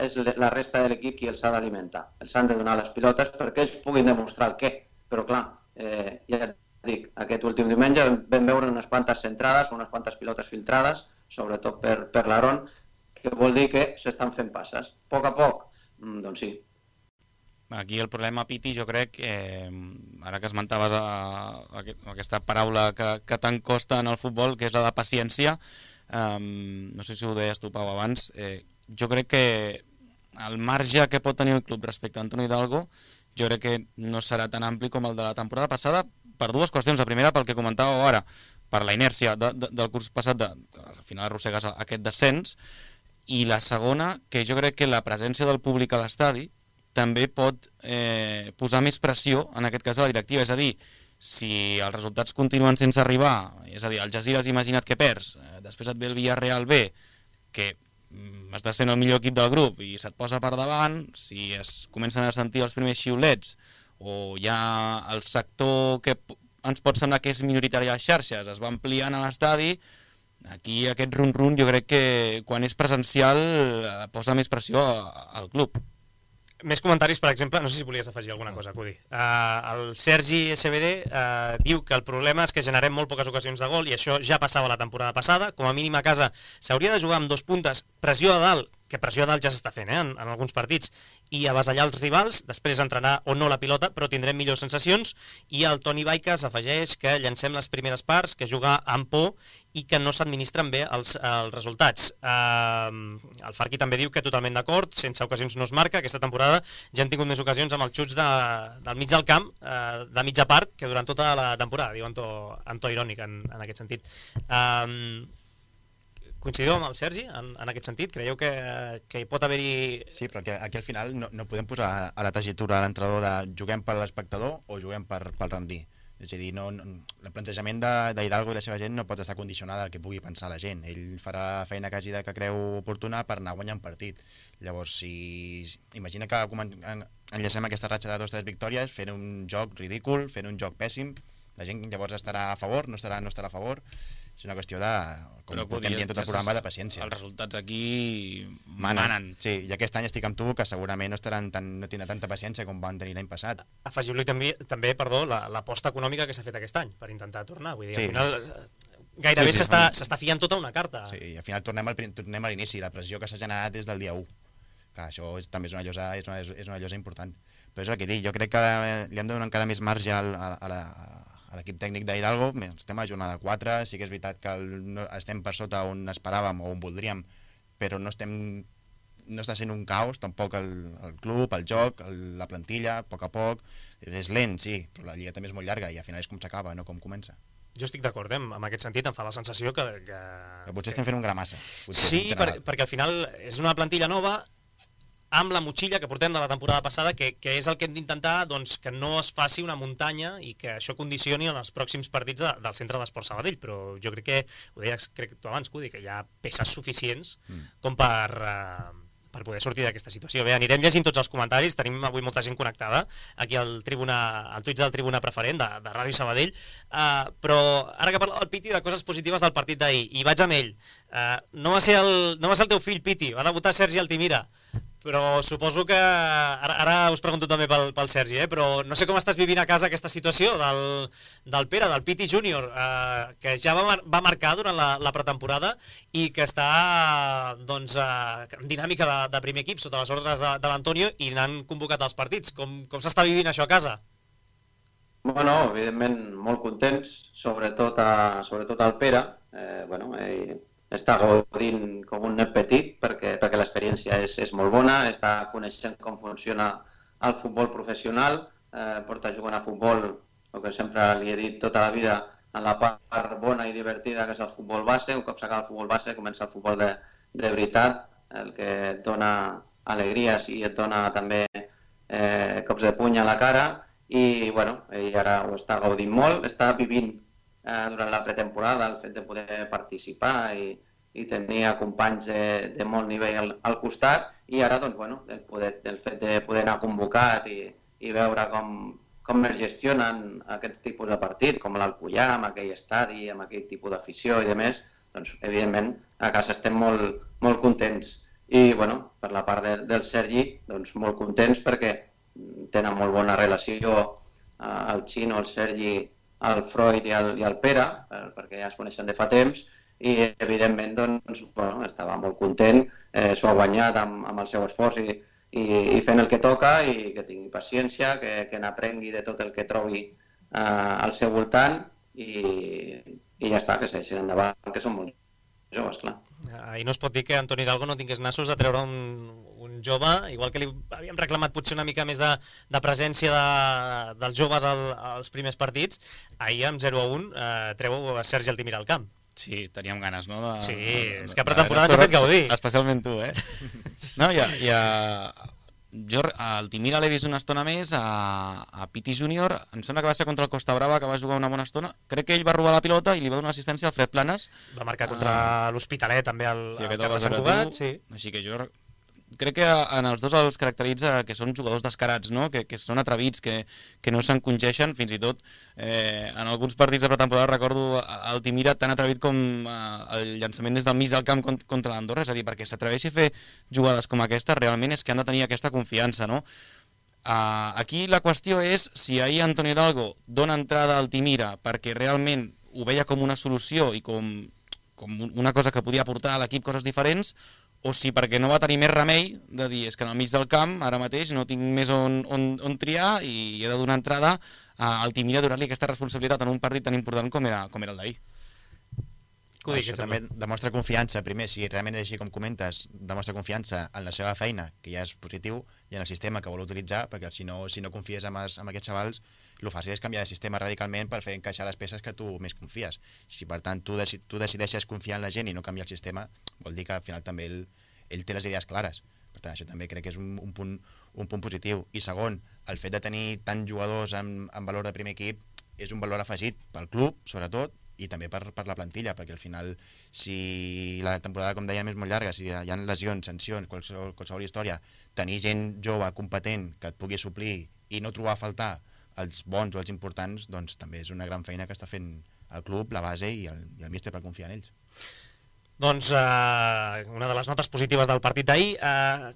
és la resta de l'equip qui els ha d'alimentar. Els han de donar les pilotes perquè ells puguin demostrar el què, però clar, Ja et dic, aquest últim diumenge vam veure unes quantes centrades, unes quantes pilotes filtrades, sobretot per l'Aaron, que vol dir que s'estan fent passes. A poc, doncs sí. Aquí el problema, Piti, jo crec, ara que esmentaves aquesta paraula que tant costa en el futbol, que és la de paciència, no sé si ho deies tu, Pau, abans, jo crec que el marge que pot tenir el club respecte a Antonio Hidalgo, jo crec que no serà tan ampli com el de la temporada passada, per dues qüestions. La primera, pel que comentàveu ara, per la inèrcia del curs passat, que al final arrossegues aquest descens, i la segona, que jo crec que la presència del públic a l'estadi també pot posar més pressió, en aquest cas, a la directiva. És a dir, si els resultats continuen sense arribar, és a dir, el Algesires imagina't que perds, després et ve el Villarreal B, que estàs sent el millor equip del grup i se't posa per davant, si es comencen a sentir els primers xiulets o ja el sector que ens pot semblar que és minoritari a les xarxes es va ampliant a l'estadi, aquí aquest run-run jo crec que quan és presencial posa més pressió al club. Més comentaris, per exemple, no sé si volies afegir alguna cosa, Cudi. El Sergi SBD diu que el problema és que generem molt poques ocasions de gol i això ja passava la temporada passada. Com a mínim a casa s'hauria de jugar amb 2 puntes, pressió a dalt, que pressió a dalt ja s'està fent en alguns partits, i avasallar els rivals, després entrenar o no la pilota, però tindrem millors sensacions. I el Toni Baiques afegeix que llancem les primeres parts, que jugar amb por i que no s'administren bé els resultats. El Farqui també diu que totalment d'acord, sense ocasions no es marca. Aquesta temporada ja hem tingut més ocasions amb els xuts del mig del camp, de mitja part, que durant tota la temporada, diu en to irònic en aquest sentit. Coincideu amb el Sergi en aquest sentit? Creieu que hi pot haver-hi... Sí, però aquí al final no podem posar a la tessitura de l'entrenador de juguem per l'espectador o juguem pel rendir. És a dir, el plantejament d'Hidalgo i la seva gent no pot estar condicionada al que pugui pensar la gent. Ell farà la feina que hagi que creu oportuna per anar guanyant partit. Llavors, si imagina que enllacem aquesta ratxa de 2 o 3 victòries fent un joc ridícul, fent un joc pèssim, la gent llavors estarà a favor, no estarà a favor. És una qüestió de, com portem dient tot el programa, de paciència. Els resultats aquí manen. Sí, i aquest any estic amb tu, que segurament no tindrà tanta paciència com van tenir l'any passat. Afegiu-li també, l'aposta econòmica que s'ha fet aquest any per intentar tornar. Vull dir, sí. Al final gairebé s'està fiant tota una carta. Sí, i al final tornem a l'inici, la pressió que s'ha generat des del dia 1. Que això també és una llosa important. Però és el que dic, jo crec que li hem de donar encara més marge a l'equip tècnic d'Hidalgo. Estem a jornada 4, sí que és veritat que estem per sota on esperàvem o on voldríem, però no està sent un caos tampoc el club, el joc, la plantilla, a poc. És lent, sí, però la lliga també és molt llarga i al final és com s'acaba, no com comença. Jo estic d'acord, en aquest sentit em fa la sensació que potser estem fent un gra massa. Sí, perquè al final és una plantilla nova amb la motxilla que portem de la temporada passada, que és el que hem d'intentar que no es faci una muntanya i que això condicioni en els pròxims partits del Centre d'Esport Sabadell, però jo crec que, ho deies tu abans, Cudi, que hi ha peces suficients com per poder sortir d'aquesta situació. Bé, anirem llegint tots els comentaris, tenim avui molta gent connectada aquí al Twitch del Tribuna Preferent de Ràdio Sabadell, però ara que parla el Piti de coses positives del partit d'ahir, i vaig amb ell, no va ser el teu fill, Piti, va debutar Sergi Altimira, però suposo que, ara us pregunto també pel Sergi, però no sé com estàs vivint a casa aquesta situació del Pere, del Piti Júnior, que ja va marcar durant la pretemporada i que està en dinàmica de primer equip sota les ordres de l'Antonio i n'han convocat els partits. Com s'està vivint això a casa? Bueno, evidentment molt contents, sobretot el Pere. Ell està gaudint com un nen petit perquè l'experiència és molt bona, està coneixent com funciona el futbol professional, porta jugant a futbol, el que sempre li he dit tota la vida, en la part bona i divertida que és el futbol base. Un cop s'acaba el futbol base comença el futbol de veritat, el que et dona alegries i et dona també cops de puny a la cara, i ell ara ho està gaudint molt, està vivint durant la pretemporada el fet de poder participar i tenir companys de molt nivell al costat, i ara el fet de poder anar convocat i veure com es gestionen aquests tipus de partit, com l'Alcoià, amb aquell estadi, amb aquell tipus d'afició i demés, doncs evidentment a casa estem molt contents. I per la part del Sergi, molt contents perquè tenen molt bona relació el Xino, el Sergi, el Freud i el Pere, perquè ja es coneixen de fa temps, i evidentment doncs, bueno, estava molt content, s'ho ha guanyat amb el seu esforç i fent el que toca i que tingui paciència, que n'aprengui de tot el que trobi al seu voltant i ja està, que segueixin endavant, que són molt joves, clar. I no es pot dir que Antoni Hidalgo no tingués nassos a treure un jove, igual que li havíem reclamat potser una mica més de presència dels joves als primers partits, ahir amb 0-1 treu a Sergi Altimira al camp. Sí, teníem ganes, no? Sí, és que pretemporada ens ha fet gaudir. Especialment tu, eh? No, jo al Altimira l'he vist una estona més, a Piti Júnior, em sembla que va ser contra el Costa Brava, que va jugar una bona estona. Crec que ell va robar la pilota i li va donar assistència al Fred Planes. Va marcar contra l'Hospitalet també al camp de Sant Cugat. Sí. Així que jo crec que en els dos els caracteritza que són jugadors descarats, no? Que són atrevits, que no s'encongeixen, fins i tot en alguns partits de pretemporada recordo el Altimira tan atrevit com el llançament des del mig del camp contra l'Andorra, és a dir, perquè s'atreveixi a fer jugades com aquesta realment és que han de tenir aquesta confiança, no? Aquí la qüestió és si ahir Antoni Hidalgo dona entrada al Altimira perquè realment ho veia com una solució i com una cosa que podia aportar a l'equip coses diferents, o si perquè no va tenir més remei de dir és que en el mig del camp ara mateix no tinc més on triar i he de donar entrada a Altimira a donar-li aquesta responsabilitat en un partit tan important com era el d'ahir. Això també demostra confiança, primer, si realment és així com comentes, demostra confiança en la seva feina, que ja és positiu, i en el sistema que vol utilitzar, perquè si no confies en aquests xavals, el fàcil és canviar de sistema radicalment per fer encaixar les peces que tu més confies. Si per tant tu decideixes confiar en la gent i no canviar el sistema, vol dir que al final també ell té les idees clares. Per tant, això també crec que és un punt positiu. I segon, el fet de tenir tants jugadors amb valor de primer equip és un valor afegit pel club, sobretot, i també per la plantilla, perquè al final, si la temporada, com dèiem, és molt llarga, si hi ha lesions, sancions, qualsevol història, tenir gent jove, competent, que et pugui suplir i no trobar a faltar els bons o els importants, doncs també és una gran feina que està fent el club, la base i el míster per confiar en ells. Doncs una de les notes positives del partit d'ahir.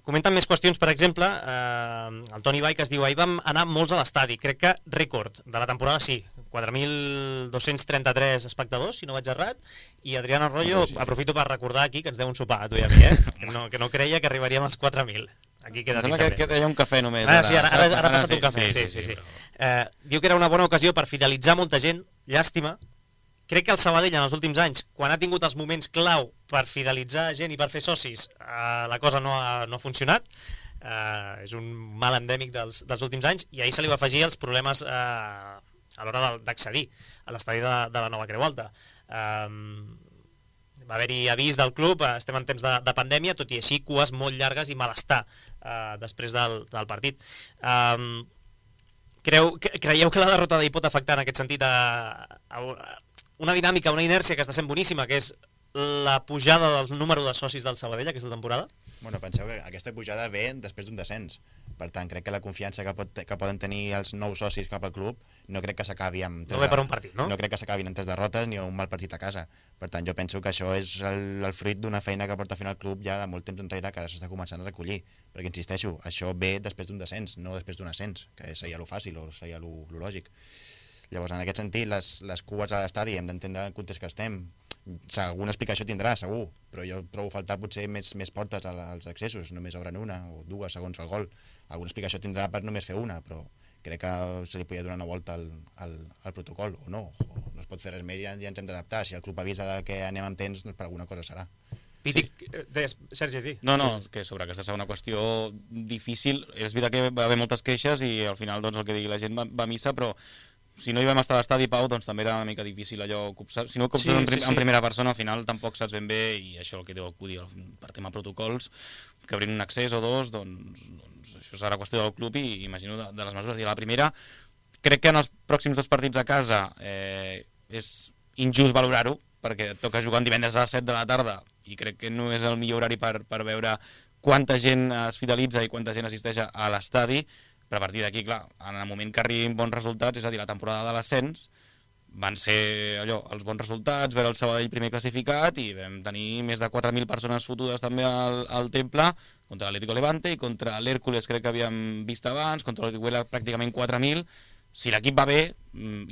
Comenten més qüestions, per exemple, el Toni Bai, que es diu: ahir vam anar molts a l'estadi, crec que rècord de la temporada, sí, 4.233 espectadors, si no vaig errat, i Adrián Arroyo, aprofito per recordar aquí que ens deu un sopar a tu i a mi, que no creia que arribaríem als 4.000. Aquí queda em sembla que hi ha un cafè només. Sí, ara ha passat un cafè. Sí. Diu que era una bona ocasió per fidelitzar molta gent, llàstima. Crec que el Sabadell en els últims anys, quan ha tingut els moments clau per fidelitzar gent i per fer socis, la cosa no ha funcionat. És un mal endèmic dels últims anys, i ahir se li va afegir els problemes a l'hora d'accedir a l'estadi de la Nova Creu Alta. Va haver-hi avís del club, estem en temps de pandèmia, tot i així cues molt llargues i malestar després del partit. Creieu que la derrota d'ahir pot afectar en aquest sentit a una dinàmica, una inèrcia que està sent boníssima, que és la pujada del número de socis del Sabadell aquesta temporada? Bueno, penseu que aquesta pujada ve després d'un descens. Per tant, crec que la confiança que poden tenir els nous socis cap al club no crec que s'acabi amb no ve per un partit, no? No crec que s'acabin amb 3 derrotes ni un mal partit a casa. Per tant, jo penso que això és el fruit d'una feina que porta fent el club ja de molt temps enrere, que ara s'està començant a recollir. Perquè, insisteixo, això ve després d'un descens, no després d'un ascens, que seria lo fàcil o seria lo lògic. Llavors, en aquest sentit, les cues a l'estadi hem d'entendre el context que estem. Alguna explicació tindrà, segur, però jo trobo faltar potser més portes als accessos, només obren una o dues segons el gol. Alguna explicació tindrà per només fer una, però crec que se li podia donar una volta al protocol, o no es pot fer res més i ja ens hem d'adaptar. Si el club avisa que anem amb temps, doncs per alguna cosa serà. Sergi, di. No, que sobre aquesta segona qüestió difícil, és veritat que va haver moltes queixes i al final doncs, el que digui la gent va a missa, però si no hi vam estar a l'estadi, Pau, doncs també era una mica difícil allò, si no ho copses en primera persona, al final tampoc saps ben bé, i això el que deu acudir per tema protocols, que obrin un accés o dos, doncs això serà qüestió del club i imagino de les mesures. I la primera, crec que en els pròxims 2 partits a casa és injust valorar-ho, perquè et toca jugar divendres a les 7 de la tarda i crec que no és el millor horari per veure quanta gent es fidelitza i quanta gent assisteix a l'estadi. Però a partir d'aquí, clar, en el moment que arribin bons resultats, és a dir, la temporada de l'ascens, van ser allò, els bons resultats, veure el Sabadell primer classificat i vam tenir més de 4.000 persones fotudes també al Temple, contra l'Atlético Levante i contra l'Hèrcules crec que havíem vist abans, contra l'Orihuela pràcticament 4.000, si l'equip va bé,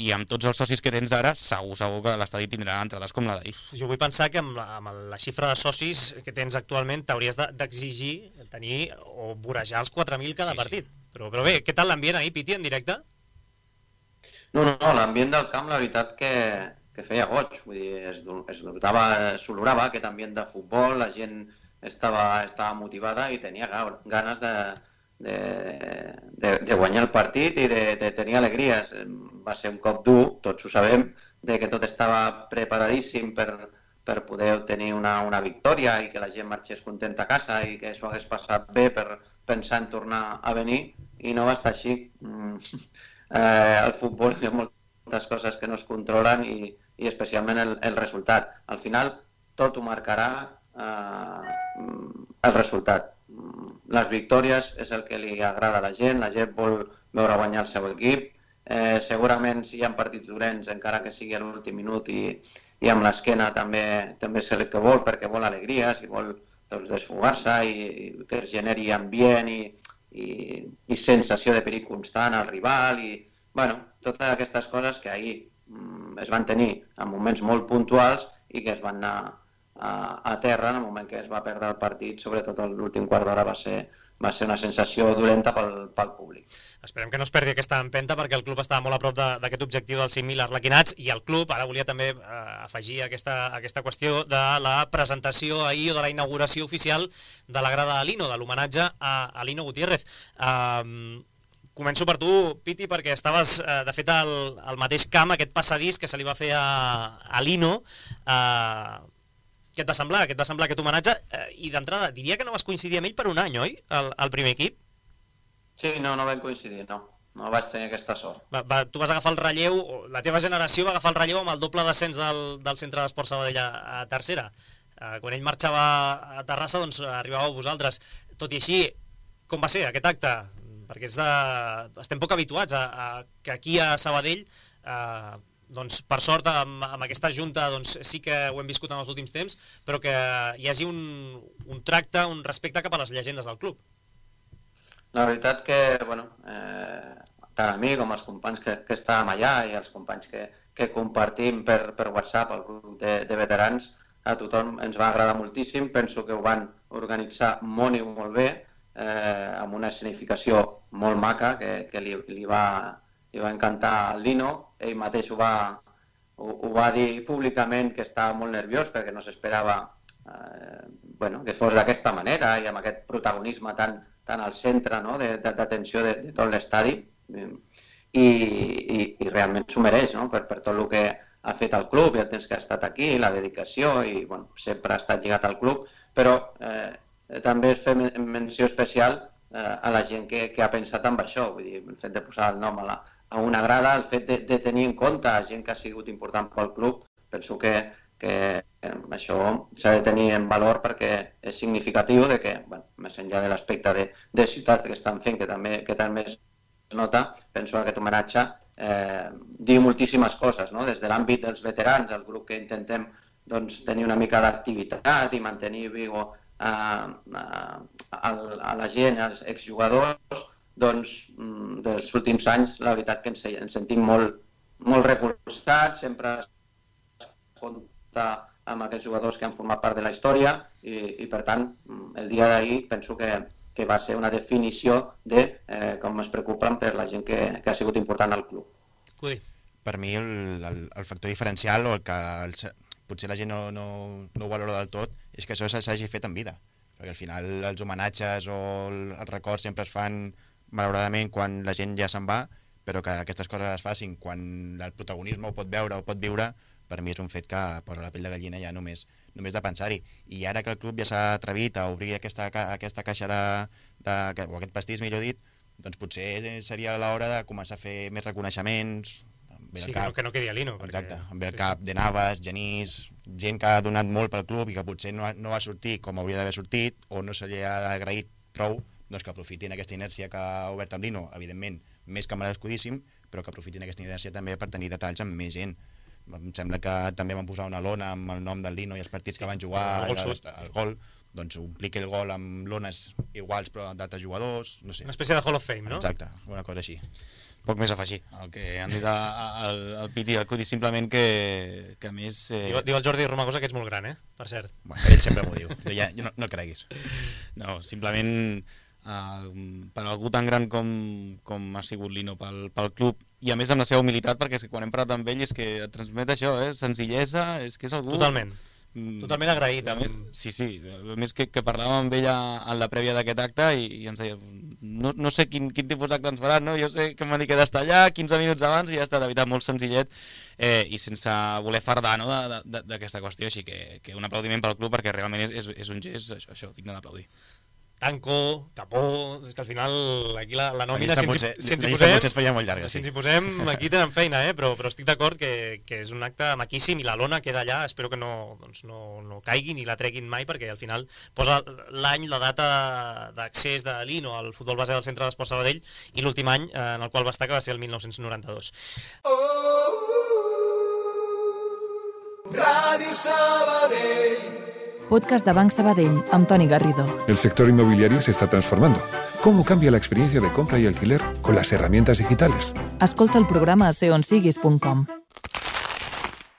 i amb tots els socis que tens ara, segur que l'estadi tindrà entrades com la d'ahir. Jo vull pensar que amb la xifra de socis que tens actualment t'hauries d'exigir tenir o vorejar els 4.000 cada partit. Però bé, què tal l'ambient ahir, Piti, en directe? No, l'ambient del camp, la veritat que feia goig. Vull dir, s'olorava aquest ambient de futbol, la gent estava motivada i tenia ganes de guanyar el partit i de tenir alegries. Va ser un cop dur, tots ho sabem, de que tot estava preparadíssim per poder obtenir una victòria i que la gent marxés contenta a casa i que s'ho hagués passat bé per pensar en tornar a venir, i no va estar així. Al futbol hi ha moltes coses que no es controlen i especialment el resultat. Al final tot ho marcarà el resultat. Les victòries és el que li agrada a la gent vol veure guanyar el seu equip. Segurament si hi ha partits dolents, encara que sigui a l'últim minut i amb l'esquena també és el que vol, perquè vol alegries i vol desfogar-se i que es generi ambient i sensació de perill constant al rival i totes aquestes coses que ahir es van tenir en moments molt puntuals i que es van anar a terra en el moment que es va perdre el partit, sobretot l'últim quart d'hora va ser una sensació dolenta pel públic. Esperem que no es perdi aquesta empenta perquè el club estava molt a prop d'aquest objectiu dels 5.000 arlequinats i el club, ara volia també afegir aquesta qüestió de la presentació ahir o de la inauguració oficial de la grada de Lino, de l'homenatge a Lino Gutiérrez. Començo per tu, Piti, perquè estaves, de fet, al mateix camp, aquest passadís que se li va fer a Lino. Què et va semblar aquest homenatge? I d'entrada, diria que no vas coincidir amb ell per un any, oi? Al primer equip? Sí, no vam coincidir, no. No vaig tenir aquesta sort. Tu vas agafar el relleu, la teva generació va agafar el relleu amb el doble descens del Centre d'Esport Sabadell a tercera. Quan ell marxava a Terrassa, doncs arribàveu vosaltres. Tot i així, com va ser aquest acte? Perquè estem poc habituats a que aquí a Sabadell, doncs per sort amb aquesta junta sí que ho hem viscut en els últims temps, però que hi hagi un tracte, un respecte cap a les llegendes del club. La veritat que, tant a mi com als companys que estàvem allà i als companys que compartim per WhatsApp, el grup de veterans, a tothom ens va agradar moltíssim. Penso que ho van organitzar molt i molt bé, amb una escenificació molt maca que li va encantar al Lino. Ell mateix ho va dir públicament que estava molt nerviós perquè no s'esperava que fos d'aquesta manera i amb aquest protagonisme tan al centre d'atenció de tot l'estadi i realment s'ho mereix per tot el que ha fet el club i el temps que ha estat aquí, la dedicació i sempre ha estat lligat al club, però també es fer menció especial a la gent que ha pensat en això, vull dir, el fet de posar el nom a una grada, el fet de tenir en compte gent que ha sigut important pel club, penso que això s'ha de tenir en valor perquè és significatiu de que, més enllà de l'aspecte de ciutat que estan fent, que també es nota, penso que aquest homenatge diu moltíssimes coses, des de l'àmbit dels veterans, el grup que intentem tenir una mica d'activitat i mantenir viu a la gent, als exjugadors, dels últims anys, la veritat que ens sentim molt recolzats, sempre es compta amb aquests jugadors que han format part de la història i per tant, el dia d'ahir penso que va ser una definició de com es preocupen per la gent que ha sigut important al club. Cudi. Per mi el factor diferencial o el que potser la gent no ho valora del tot és que això s'hagi fet en vida, perquè al final els homenatges o els records sempre es fan malauradament quan la gent ja se'n va, però que aquestes coses es facin quan el protagonisme ho pot veure o pot viure, per mi és un fet que posa la pell de gallina ja només de pensar-hi. I ara que el club ja s'ha atrevit a obrir aquesta caixa o aquest pastís, millor dit, doncs potser seria l'hora de començar a fer més reconeixements. Sí, que no quedi a Lino. Exacte, amb el cap de Navas, Genís, gent que ha donat molt pel club i que potser no va sortir com hauria d'haver sortit o no se li ha agraït prou, doncs que aprofitin aquesta inèrcia que ha obert amb Lino, evidentment, més que merescudíssim, però que aprofitin aquesta inèrcia també per tenir detalls amb més gent. Em sembla que també van posar una lona amb el nom del Lino i els partits que van jugar, el gol, doncs omplir aquell gol amb lones iguals però d'altres jugadors, no sé. Una espècie de Hall of Fame, no? Exacte, una cosa així. Poc més a afegir, el que han dit el Piti i el Cudi, simplement que a més... Diu el Jordi Romagosa que ets molt gran, per cert. Bueno, ell sempre m'ho diu, ja no el creguis. No, simplement per algú tan gran com ha sigut Lino pel club, i a més amb la seva humilitat, perquè quan hem parlat amb ell és que et transmet això, senzillesa, és que és algú... Totalment agraït. Sí, a més que parlàvem amb ella en la prèvia d'aquest acte i ens deia, no sé quin tipus d'acte ens faran, no? Jo sé que m'han dit que he d'estar allà 15 minuts abans i ja està, de veritat, molt senzillet i sense voler fardar d'aquesta qüestió, així que un aplaudiment pel club perquè realment és un gest, això, digne d'aplaudir. Tanco, Capó, és que al final aquí la nòmina, si ens hi posem, aquí tenen feina, però estic d'acord que és un acte maquíssim i la lona queda allà, espero que no caigui ni la treguin mai, perquè al final posa l'any, la data d'accés de Lino al futbol base del Centre d'Esports Sabadell i l'últim any en el qual va estar, que va ser el 1992. Ràdio Sabadell. Podcast de Banc Sabadell, amb Toni Garrido. El sector inmobiliario se está transformando. ¿Cómo cambia la experiencia de compra y alquiler con las herramientas digitales? Escolta el programa a seonsiguis.com.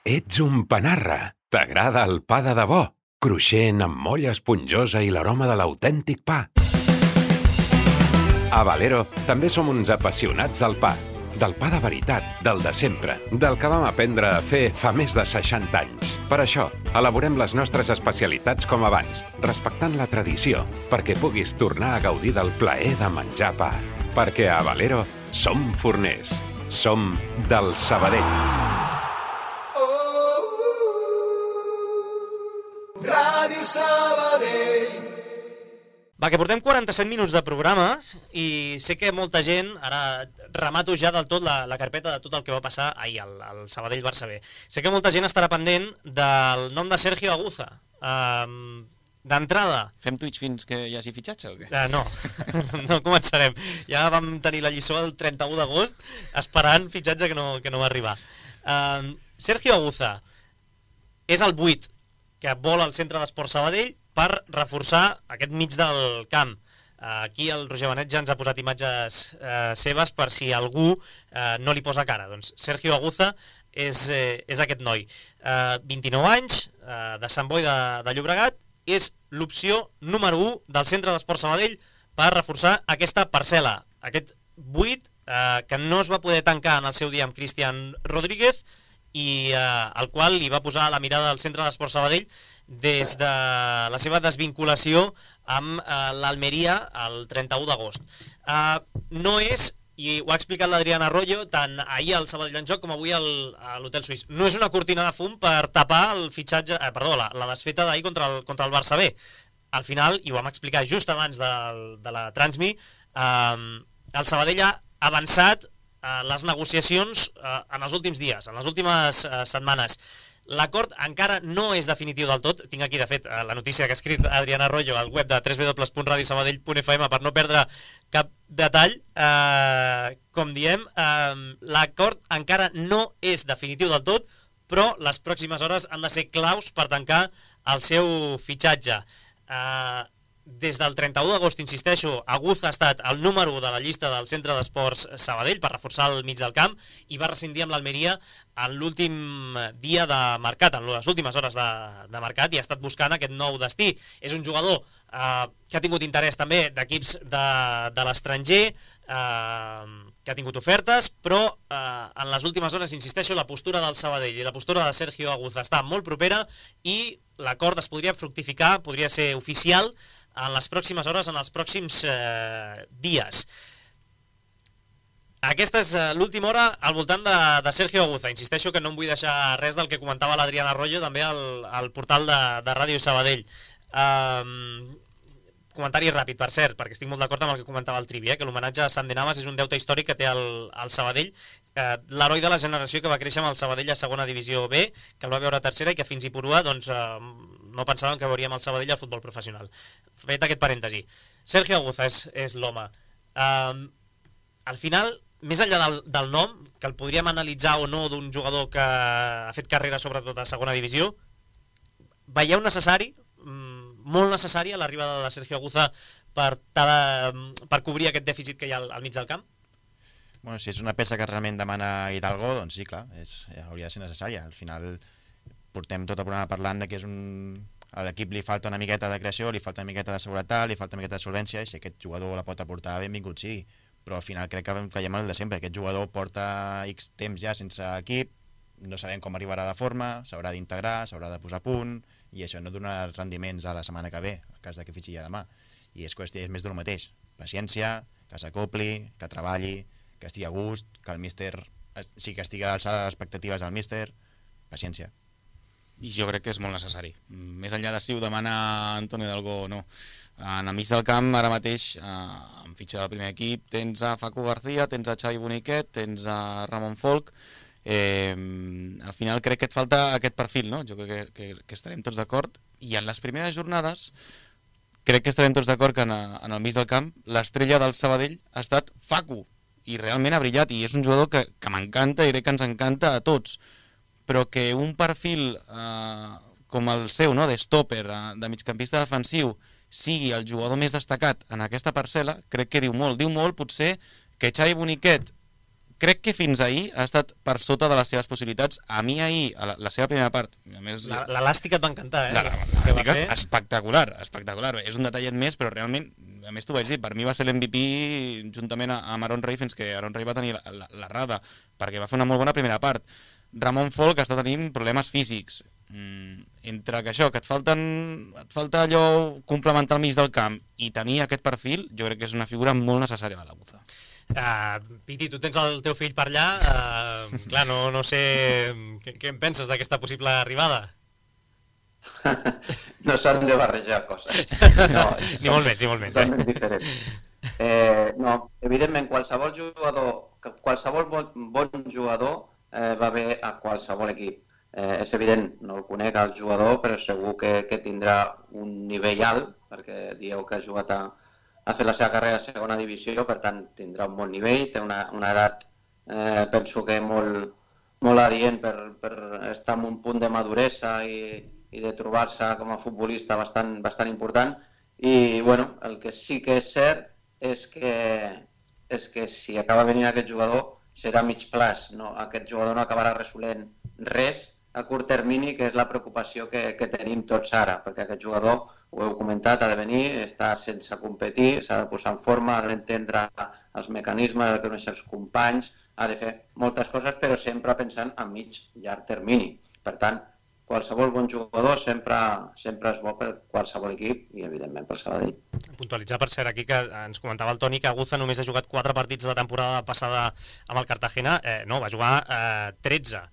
Ets un panarra. T'agrada el pa de debò? Cruixent, amb molla esponjosa i l'aroma de l'autèntic pa. A Valero també som uns apassionats del pa. Del pa de veritat, del de sempre, del que vam aprendre a fer fa més de 60 anys. Per això, elaborem les nostres especialitats com abans, respectant la tradició, perquè puguis tornar a gaudir del plaer de menjar pa. Perquè a Valero som forners, som del Sabadell. Ràdio Sabadell. Va, que portem 47 minuts de programa i sé que molta gent, ara remato ja del tot la carpeta de tot el que va passar ahir al Sabadell-Barça B. Sé que molta gent estarà pendent del nom de Sergio Aguza. D'entrada... Fem Twitch fins que hi hagi fitxatge o què? No començarem. Ja vam tenir la lliçó el 31 d'agost esperant fitxatge que no va arribar. Sergio Aguza és el 8 que vol al Centre d'Esports Sabadell per reforçar aquest mig del camp. Aquí el Roger Benet ja ens ha posat imatges seves per si algú no li posa cara. Doncs Sergio Aguza és aquest noi. 29 anys, de Sant Boi de Llobregat, és l'opció número 1 del Centre d'Esports Sabadell per reforçar aquesta parcel·la. Aquest 8 que no es va poder tancar en el seu dia amb Cristian Rodríguez i el qual li va posar la mirada al Centre d'Esports Sabadell des de la seva desvinculació amb l'Almeria el 31 d'agost. No és, i ho ha explicat l'Adrián Arroyo, tant ahir al Sabadell en Joc com avui a l'Hotel Suís, no és una cortina de fum per tapar el fitxatge, la desfeta d'ahir contra el Barça B. Al final, i ho vam explicar just abans de la Transmi, el Sabadell ha avançat les negociacions en els últims dies, en les últimes setmanes. L'acord encara no és definitiu del tot. Tinc aquí, de fet, la notícia que ha escrit Adrián Arroyo al web de www.radiosabadell.fm per no perdre cap detall. Com diem, l'acord encara no és definitiu del tot, però les pròximes hores han de ser claus per tancar el seu fitxatge. Des del 31 d'agost, insisteixo, Aguza ha estat el número 1 de la llista del Centre d'Esports Sabadell per reforçar el mig del camp i va rescindir amb l'Almeria en l'últim dia de mercat, en les últimes hores de mercat, i ha estat buscant aquest nou destí. És un jugador que ha tingut interès també d'equips de l'estranger, que ha tingut ofertes, però en les últimes hores, insisteixo, la postura del Sabadell i la postura de Sergio Aguza està molt propera i l'acord es podria fructificar, podria ser oficial en les pròximes hores, en els pròxims dies. Aquesta és l'última hora al voltant de Sergio Aguza. Insisteixo que no em vull deixar res del que comentava l'Adrián Arroyo també al portal de Ràdio Sabadell. Comentari ràpid, per cert, perquè estic molt d'acord amb el que comentava el Trivi, que l'homenatge a Sant de Navas és un deute històric que té el Sabadell, l'heroi de la generació que va créixer amb el Sabadell a segona divisió B, que el va veure a tercera i que fins i purua no pensàvem que veuríem el Sabadell al futbol professional. Fet aquest parèntesi. Sergio Aguza és l'home. Al final, més enllà del nom, que el podríem analitzar o no d'un jugador que ha fet carrera sobretot a segona divisió, veieu necessari molt necessària l'arribada de Sergio Aguza per cobrir aquest dèficit que hi ha al mig del camp? Bueno, si és una peça que realment demana Hidalgo, doncs sí, clar, hauria de ser necessària. Al final portem tot el programa parlant de que a l'equip li falta una miqueta de creació, li falta una miqueta de seguretat, li falta una miqueta de solvència, i si aquest jugador la pot aportar, benvingut sigui. Però al final crec que caiem en el de sempre. Aquest jugador porta X temps ja sense equip, no sabem com arribarà de forma, s'haurà d'integrar, s'haurà de posar a punt, i això no donarà rendiments a la setmana que ve, en cas que fitxi ja demà. I és més del mateix. Paciència, que s'acopli, que treballi, que estigui a gust, que el míster sí que estigui a l'alçada de les expectatives del míster. Paciència. I jo crec que és molt necessari. Més enllà de si ho demana Antonio Hidalgo o no. En el mig del camp, ara mateix, en fitxa del primer equip, tens a Facu García, tens a Xavi Boniquet, tens a Ramon Folk. Al final crec que et falta aquest perfil, no? Jo crec que estarem tots d'acord. I en les primeres jornades crec que estarem tots d'acord que en el mig del camp l'estrella del Sabadell ha estat Facu. I realment ha brillat, i és un jugador que m'encanta i crec que ens encanta a tots. Però que un perfil com el seu, no, de stopper, de migcampista defensiu, sigui el jugador més destacat en aquesta parcel·la, crec que diu molt. Diu molt, potser, que Xavi Boniquet, crec que fins ahir ha estat per sota de les seves possibilitats. A mi ahir, a la seva primera part... L'elàstica et va encantar, L'elàstica, espectacular, espectacular. És un detallet més, però realment, a més t'ho vaig dir, per mi va ser l'MVP juntament amb Aaron Rey, fins que Aaron Rey va tenir l'errada, perquè va fer una molt bona primera part. Ramon Folk està tenint problemes físics. Entre que això, que et falta allò complementar al mig del camp i tenir aquest perfil, jo crec que és una figura molt necessària a l'Aguza. Piti, tu tens el teu fill per allà, clar, no sé què en penses d'aquesta possible arribada? No s'han de barrejar coses. No, ni molt menys, ni molt menys. Són diferents. No, evidentment, qualsevol bon jugador va bé a qualsevol equip. És evident, no el conec el jugador, però segur que tindrà un nivell alt, perquè dieu que ha jugat ha fet la seva carrera a segona divisió, per tant tindrà un bon nivell, té una edat, penso que molt adient per estar en un punt de maduresa i de trobar-se com a futbolista bastant important. I bueno, el que sí que és cert és que si acaba venint aquest jugador serà a mig plaç, aquest jugador no acabarà resolent res a curt termini, que és la preocupació que tenim tots ara, perquè aquest jugador, ho heu comentat, ha de venir, està sense competir, s'ha de posar en forma, ha d'entendre els mecanismes, ha de conèixer els companys, ha de fer moltes coses, però sempre pensant a mig, llarg termini. Per tant, qualsevol bon jugador sempre és bo per qualsevol equip i, evidentment, pel Sabadell. Puntualitzar, per cert, aquí que ens comentava el Toni que Aguza només ha jugat 4 partits la temporada passada amb el Cartagena. No, va jugar 13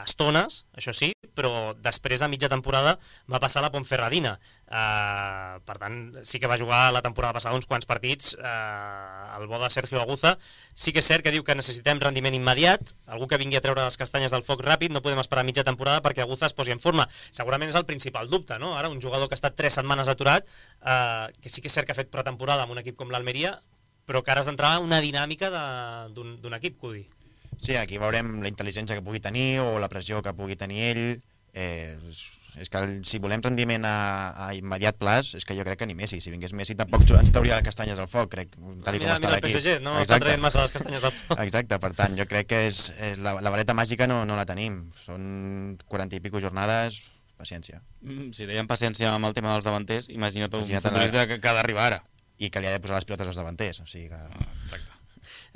estones, això sí, però després a mitja temporada va passar a la Ponferradina. Per tant, sí que va jugar la temporada passada uns quants partits el bo de Sergio Aguza. Sí que és cert que diu que necessitem rendiment immediat, algú que vingui a treure les castanyes del foc ràpid, no podem esperar mitja temporada perquè Aguza es posi en forma. Segurament és el principal dubte, no? Ara un jugador que ha estat 3 setmanes aturat, que sí que és cert que ha fet pretemporada amb un equip com l'Almeria, però que ara has d'entrar en una dinàmica d'un equip, Cudi. Sí, aquí veurem la intel·ligència que pugui tenir o la pressió que pugui tenir ell. És que si volem rendiment a immediat plaç, és que jo crec que ni Messi. Si vingués Messi tampoc ens trauria les castanyes al foc, crec, tal com està l'equip. Mira el PSG, no està traient massa les castanyes al foc. Exacte, per tant, jo crec que la vareta màgica no la tenim. Són 40 i pico jornades, paciència. Si deien paciència amb el tema dels davanters, imagina't un futbolista que ha d'arribar ara. I que li ha de posar les pilotes als davanters, o sigui que... Exacte.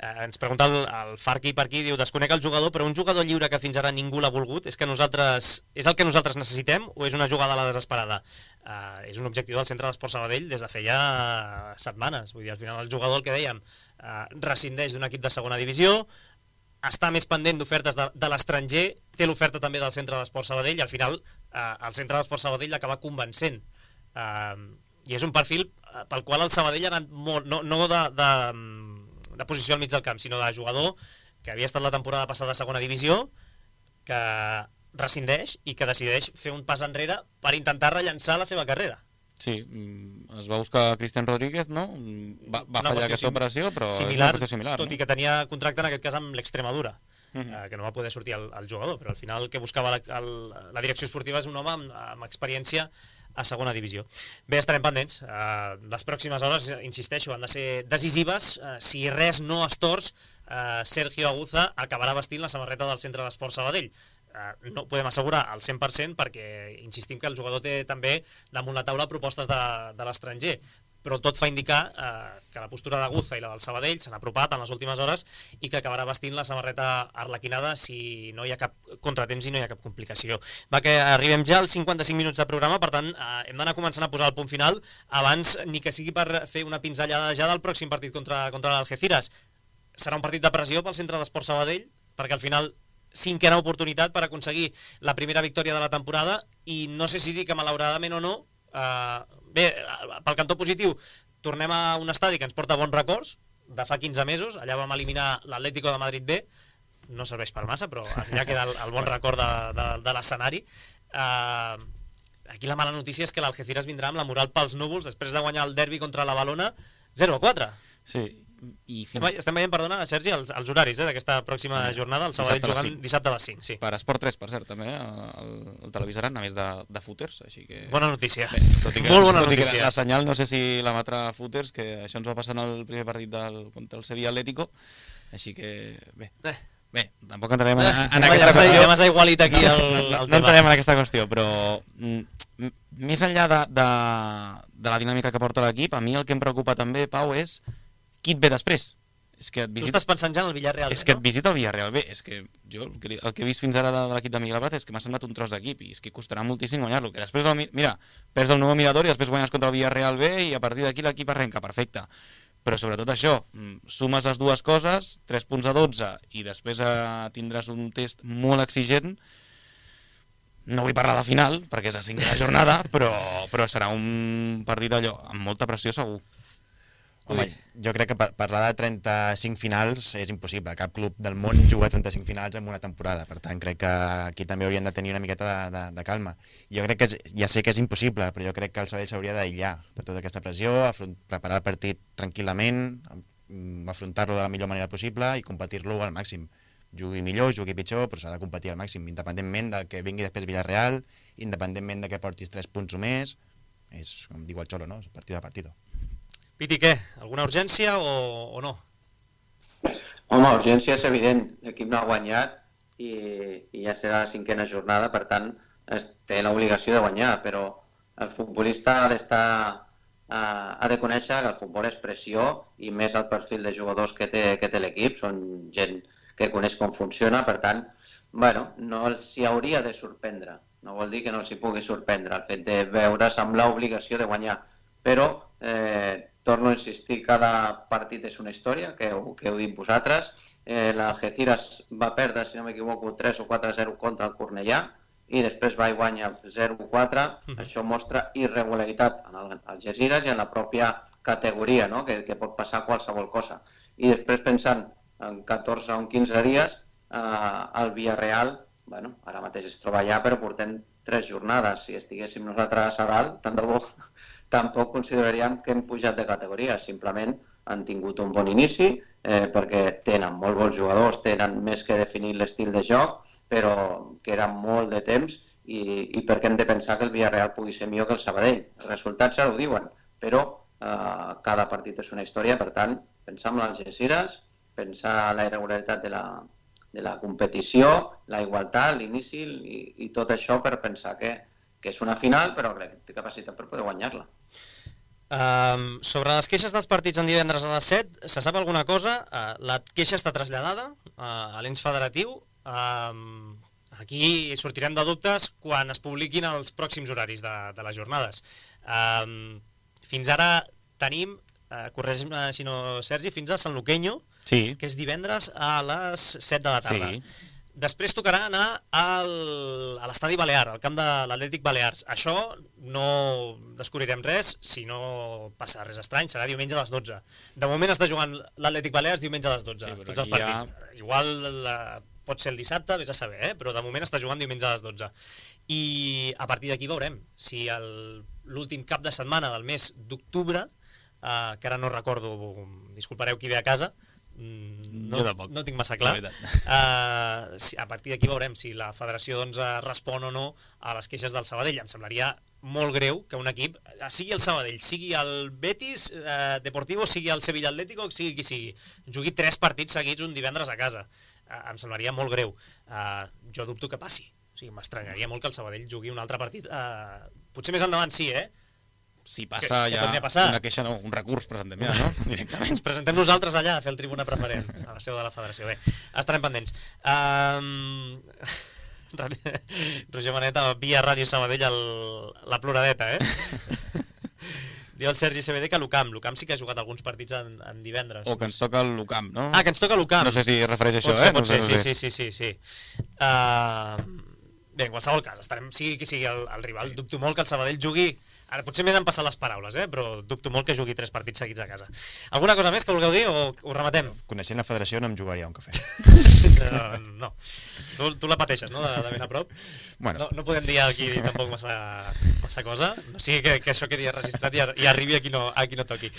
Ens pregunta el Farqui per aquí, diu, desconec el jugador, però un jugador lliure que fins ara ningú l'ha volgut, és el que nosaltres necessitem o és una jugada a la desesperada? És un objectiu del Centre d'Esports Sabadell des de feia setmanes. Vull dir, al final el jugador, el que dèiem, rescindeix d'un equip de segona divisió, està més pendent d'ofertes de l'estranger, té l'oferta també del Centre d'Esports Sabadell i al final el Centre d'Esports Sabadell l'acaba convencent. I és un perfil pel qual el Sabadell ha anat molt, no de posició al mig del camp, sinó de jugador que havia estat la temporada passada a segona divisió, que rescindeix i que decideix fer un pas enrere per intentar rellançar la seva carrera. Sí, es va buscar Cristian Rodríguez, no? Va fallar aquesta operació, però és una qüestió similar. Tot i que tenia contracte en aquest cas amb l'Extremadura, que no va poder sortir el jugador, però al final el que buscava la direcció esportiva és un home amb experiència a segona divisió. Bé, estarem pendents. Les pròximes hores, insisteixo, han de ser decisives. Si res no es tors, Sergio Aguza acabarà vestint la samarreta del Centre d'Esports Sabadell. No ho podem assegurar al 100% perquè insistim que el jugador té també damunt la taula propostes de l'estranger, però tot fa indicar que la postura d'Aguza i la del Sabadell s'han apropat en les últimes hores i que acabarà vestint la samarreta arlequinada si no hi ha cap contratemps i no hi ha cap complicació. Va, que arribem ja als 55 minuts de programa, per tant hem d'anar començant a posar el punt final abans ni que sigui per fer una pinzellada ja del pròxim partit contra l'Algeciras. Serà un partit de pressió pel Centre d'Esports Sabadell perquè al final cinquena oportunitat per aconseguir la primera victòria de la temporada i no sé si dir que malauradament o no, bé, pel cantó positiu tornem a un estadi que ens porta bons records de fa 15 mesos, allà vam eliminar l'Atlético de Madrid B, no serveix per massa però allà queda el bon record de l'escenari. Aquí la mala notícia és que l'Algeciras vindrà amb la moral pels núvols després de guanyar el derbi contra la Valona 0-4. Sí. Estem veient, perdona, Sergi, els horaris d'aquesta pròxima jornada, el Sabadell jugant dissabte a les 5. Sí. Per Esport 3, per cert, també, el televisaran, a més de footers, així que... Bona notícia. Bé, molt bona notícia. La senyal, no sé si l'emetrà footers, que això ens va passar en el primer partit contra el Sevilla Atlético, així que, bé, tampoc entrarem en aquesta qüestió. Ja m'has aigualit aquí el tema. No entrarem en aquesta qüestió, però més enllà de la dinàmica que porta l'equip, a mi el que em preocupa també, Pau, és qui et ve després. Tu estàs pensant ja en el Villarreal B, no? És que et visita el Villarreal B. És que jo el que he vist fins ara de l'equip de Miguel Abad és que m'ha semblat un tros d'equip i és que costarà moltíssim guanyar-lo. Que després, mira, perds el nou Mirador i després guanyes contra el Villarreal B i a partir d'aquí l'equip arrenca, perfecte. Però sobretot això, sumes les dues coses, 3 punts a 12 i després tindràs un test molt exigent. No vull parlar de final perquè és la 5a jornada, però serà un partit allò amb molta pressió segur. Home, jo crec que parlar de 35 finals és impossible. Cap club del món juga 35 finals en una temporada. Per tant, crec que aquí també haurien de tenir una miqueta de calma. Jo crec que ja sé que és impossible, però jo crec que el Sabadell s'hauria d'aïllar de tota aquesta pressió, preparar el partit tranquil·lament, afrontar-lo de la millor manera possible i competir-lo al màxim. Jugui millor, jugui pitjor, però s'ha de competir al màxim, independentment del que vingui després Villarreal, independentment de que portis 3 punts o més. És, com diu el Xolo, no? És partit a partit. Piti, què? Alguna urgència o no? Home, urgència és evident. L'equip no ha guanyat i ja serà la 5a jornada, per tant, té l'obligació de guanyar, però el futbolista ha de conèixer que el futbol és pressió i més el perfil de jugadors que té l'equip. Són gent que coneix com funciona, per tant, bueno, no els hi hauria de sorprendre. No vol dir que no els hi pugui sorprendre el fet de veure's amb l'obligació de guanyar, però torno a insistir, cada partit és una història, que heu dit vosaltres. L'Algeciras va perdre, si no m'equivoco, 3 o 4-0 contra el Cornellà i després va i guanya 0-4. Això mostra irregularitat en l'Algeciras i en la pròpia categoria, no? que pot passar qualsevol cosa. I després pensant en 14 o 15 dies, el Villarreal, bueno, ara mateix es troba allà, però portem 3 jornades. Si estiguéssim nosaltres a dalt, tant de bo, tampoc consideraríem que hem pujat de categoria, simplement han tingut un bon inici perquè tenen molt bons jugadors, tenen més que definir l'estil de joc, però queda molt de temps i perquè hem de pensar que el Villarreal pugui ser millor que el Sabadell. Els resultats ja ho diuen, però cada partit és una història, per tant, pensar en l'Algeciras, pensar en la irregularitat de la competició, la igualtat, l'inici i tot això per pensar que és una final, però crec que té capacitat per poder guanyar-la. Sobre les queixes dels partits en divendres a les 7, se sap alguna cosa? La queixa està traslladada a l'ens federatiu. Aquí sortirem de dubtes quan es publiquin els pròxims horaris de les jornades. Fins ara tenim, corregi'm si no, Sergi, fins a San Luqueño, que és divendres a les 7 de la tarda. Després tocarà anar a l'estadi Balear, al camp de l'Atlètic Balears. Això no descobrirem res si no passa res estrany, serà diumenge a les 12. De moment està jugant l'Atlètic Balears diumenge a les 12, tots els partits. Igual pot ser el dissabte, vés a saber, però de moment està jugant diumenge a les 12. I a partir d'aquí veurem si l'últim cap de setmana del mes d'octubre, que ara no recordo, disculpareu qui ve a casa, no tinc massa clar. A partir d'aquí veurem si la federació respon o no a les queixes del Sabadell. Em semblaria molt greu que un equip, sigui el Sabadell, sigui el Betis Deportivo, sigui el Sevilla Atlético, sigui qui sigui, jugui 3 partits seguits un divendres a casa. Em semblaria molt greu. Jo dubto que passi. O sigui, m'estranyaria molt que el Sabadell jugui un altre partit. Potser més endavant sí, Si passa que ja una queixa, no, un recurs presentem ja, no? Directament. Ens presentem nosaltres allà a fer el tribuna preferent, a la seu de la federació. Bé, estarem pendents. Roger Maneta, via Ràdio Sabadell, la ploradeta, Diu el Sergi CBD que l'UCAM sí que ha jugat alguns partits en divendres. O que ens toca l'UCAM, no? Que ens toca l'UCAM. No sé si es refereix a això, Pot ser, sí. Bé, en qualsevol cas, sigui qui sigui el rival, dubto molt que el Sabadell jugui, ara potser m'he d'empassar les paraules, però dubto molt que jugui 3 partits seguits a casa. Alguna cosa més que vulgueu dir o ho rematem? Coneixent la federació no em jugaria un cafè. No. Tu la pateixes, no?, de ben a prop. Bueno. No podem dir aquí tampoc massa cosa, no sigui que això quedi registrat i arribi a qui no toqui.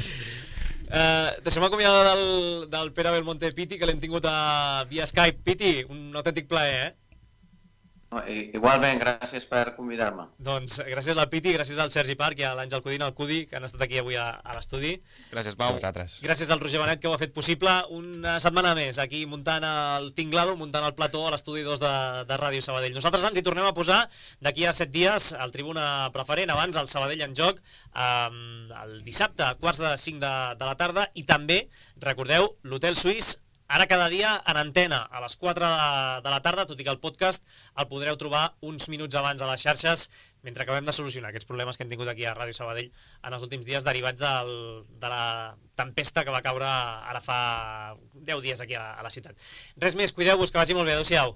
Deixem acomiadar del Pere Belmonte Piti, que l'hem tingut via Skype. Piti, un autèntic plaer, Igualment, gràcies per convidar-me. Doncs gràcies al Piti, gràcies al Sergi Parc i a l'Àngel Codina, al Cudi, que han estat aquí avui a l'estudi. Gràcies, Pau. Gràcies al Roger Benet, que ho ha fet possible. Una setmana més aquí muntant el Tinglado, muntant el plató a l'estudi 2 de Ràdio Sabadell. Nosaltres ens hi tornem a posar d'aquí a 7 dies al Tribuna Preferent, abans el Sabadell en joc, el dissabte a 4:45 de la tarda, i també, recordeu, l'Hotel Suís, ara cada dia en antena, a les 4 de la tarda, tot i que el podcast el podreu trobar uns minuts abans a les xarxes, mentre acabem de solucionar aquests problemes que hem tingut aquí a Ràdio Sabadell en els últims dies derivats de la tempesta que va caure ara fa 10 dies aquí a la ciutat. Res més, cuideu-vos, que vagi molt bé, adeu-siau.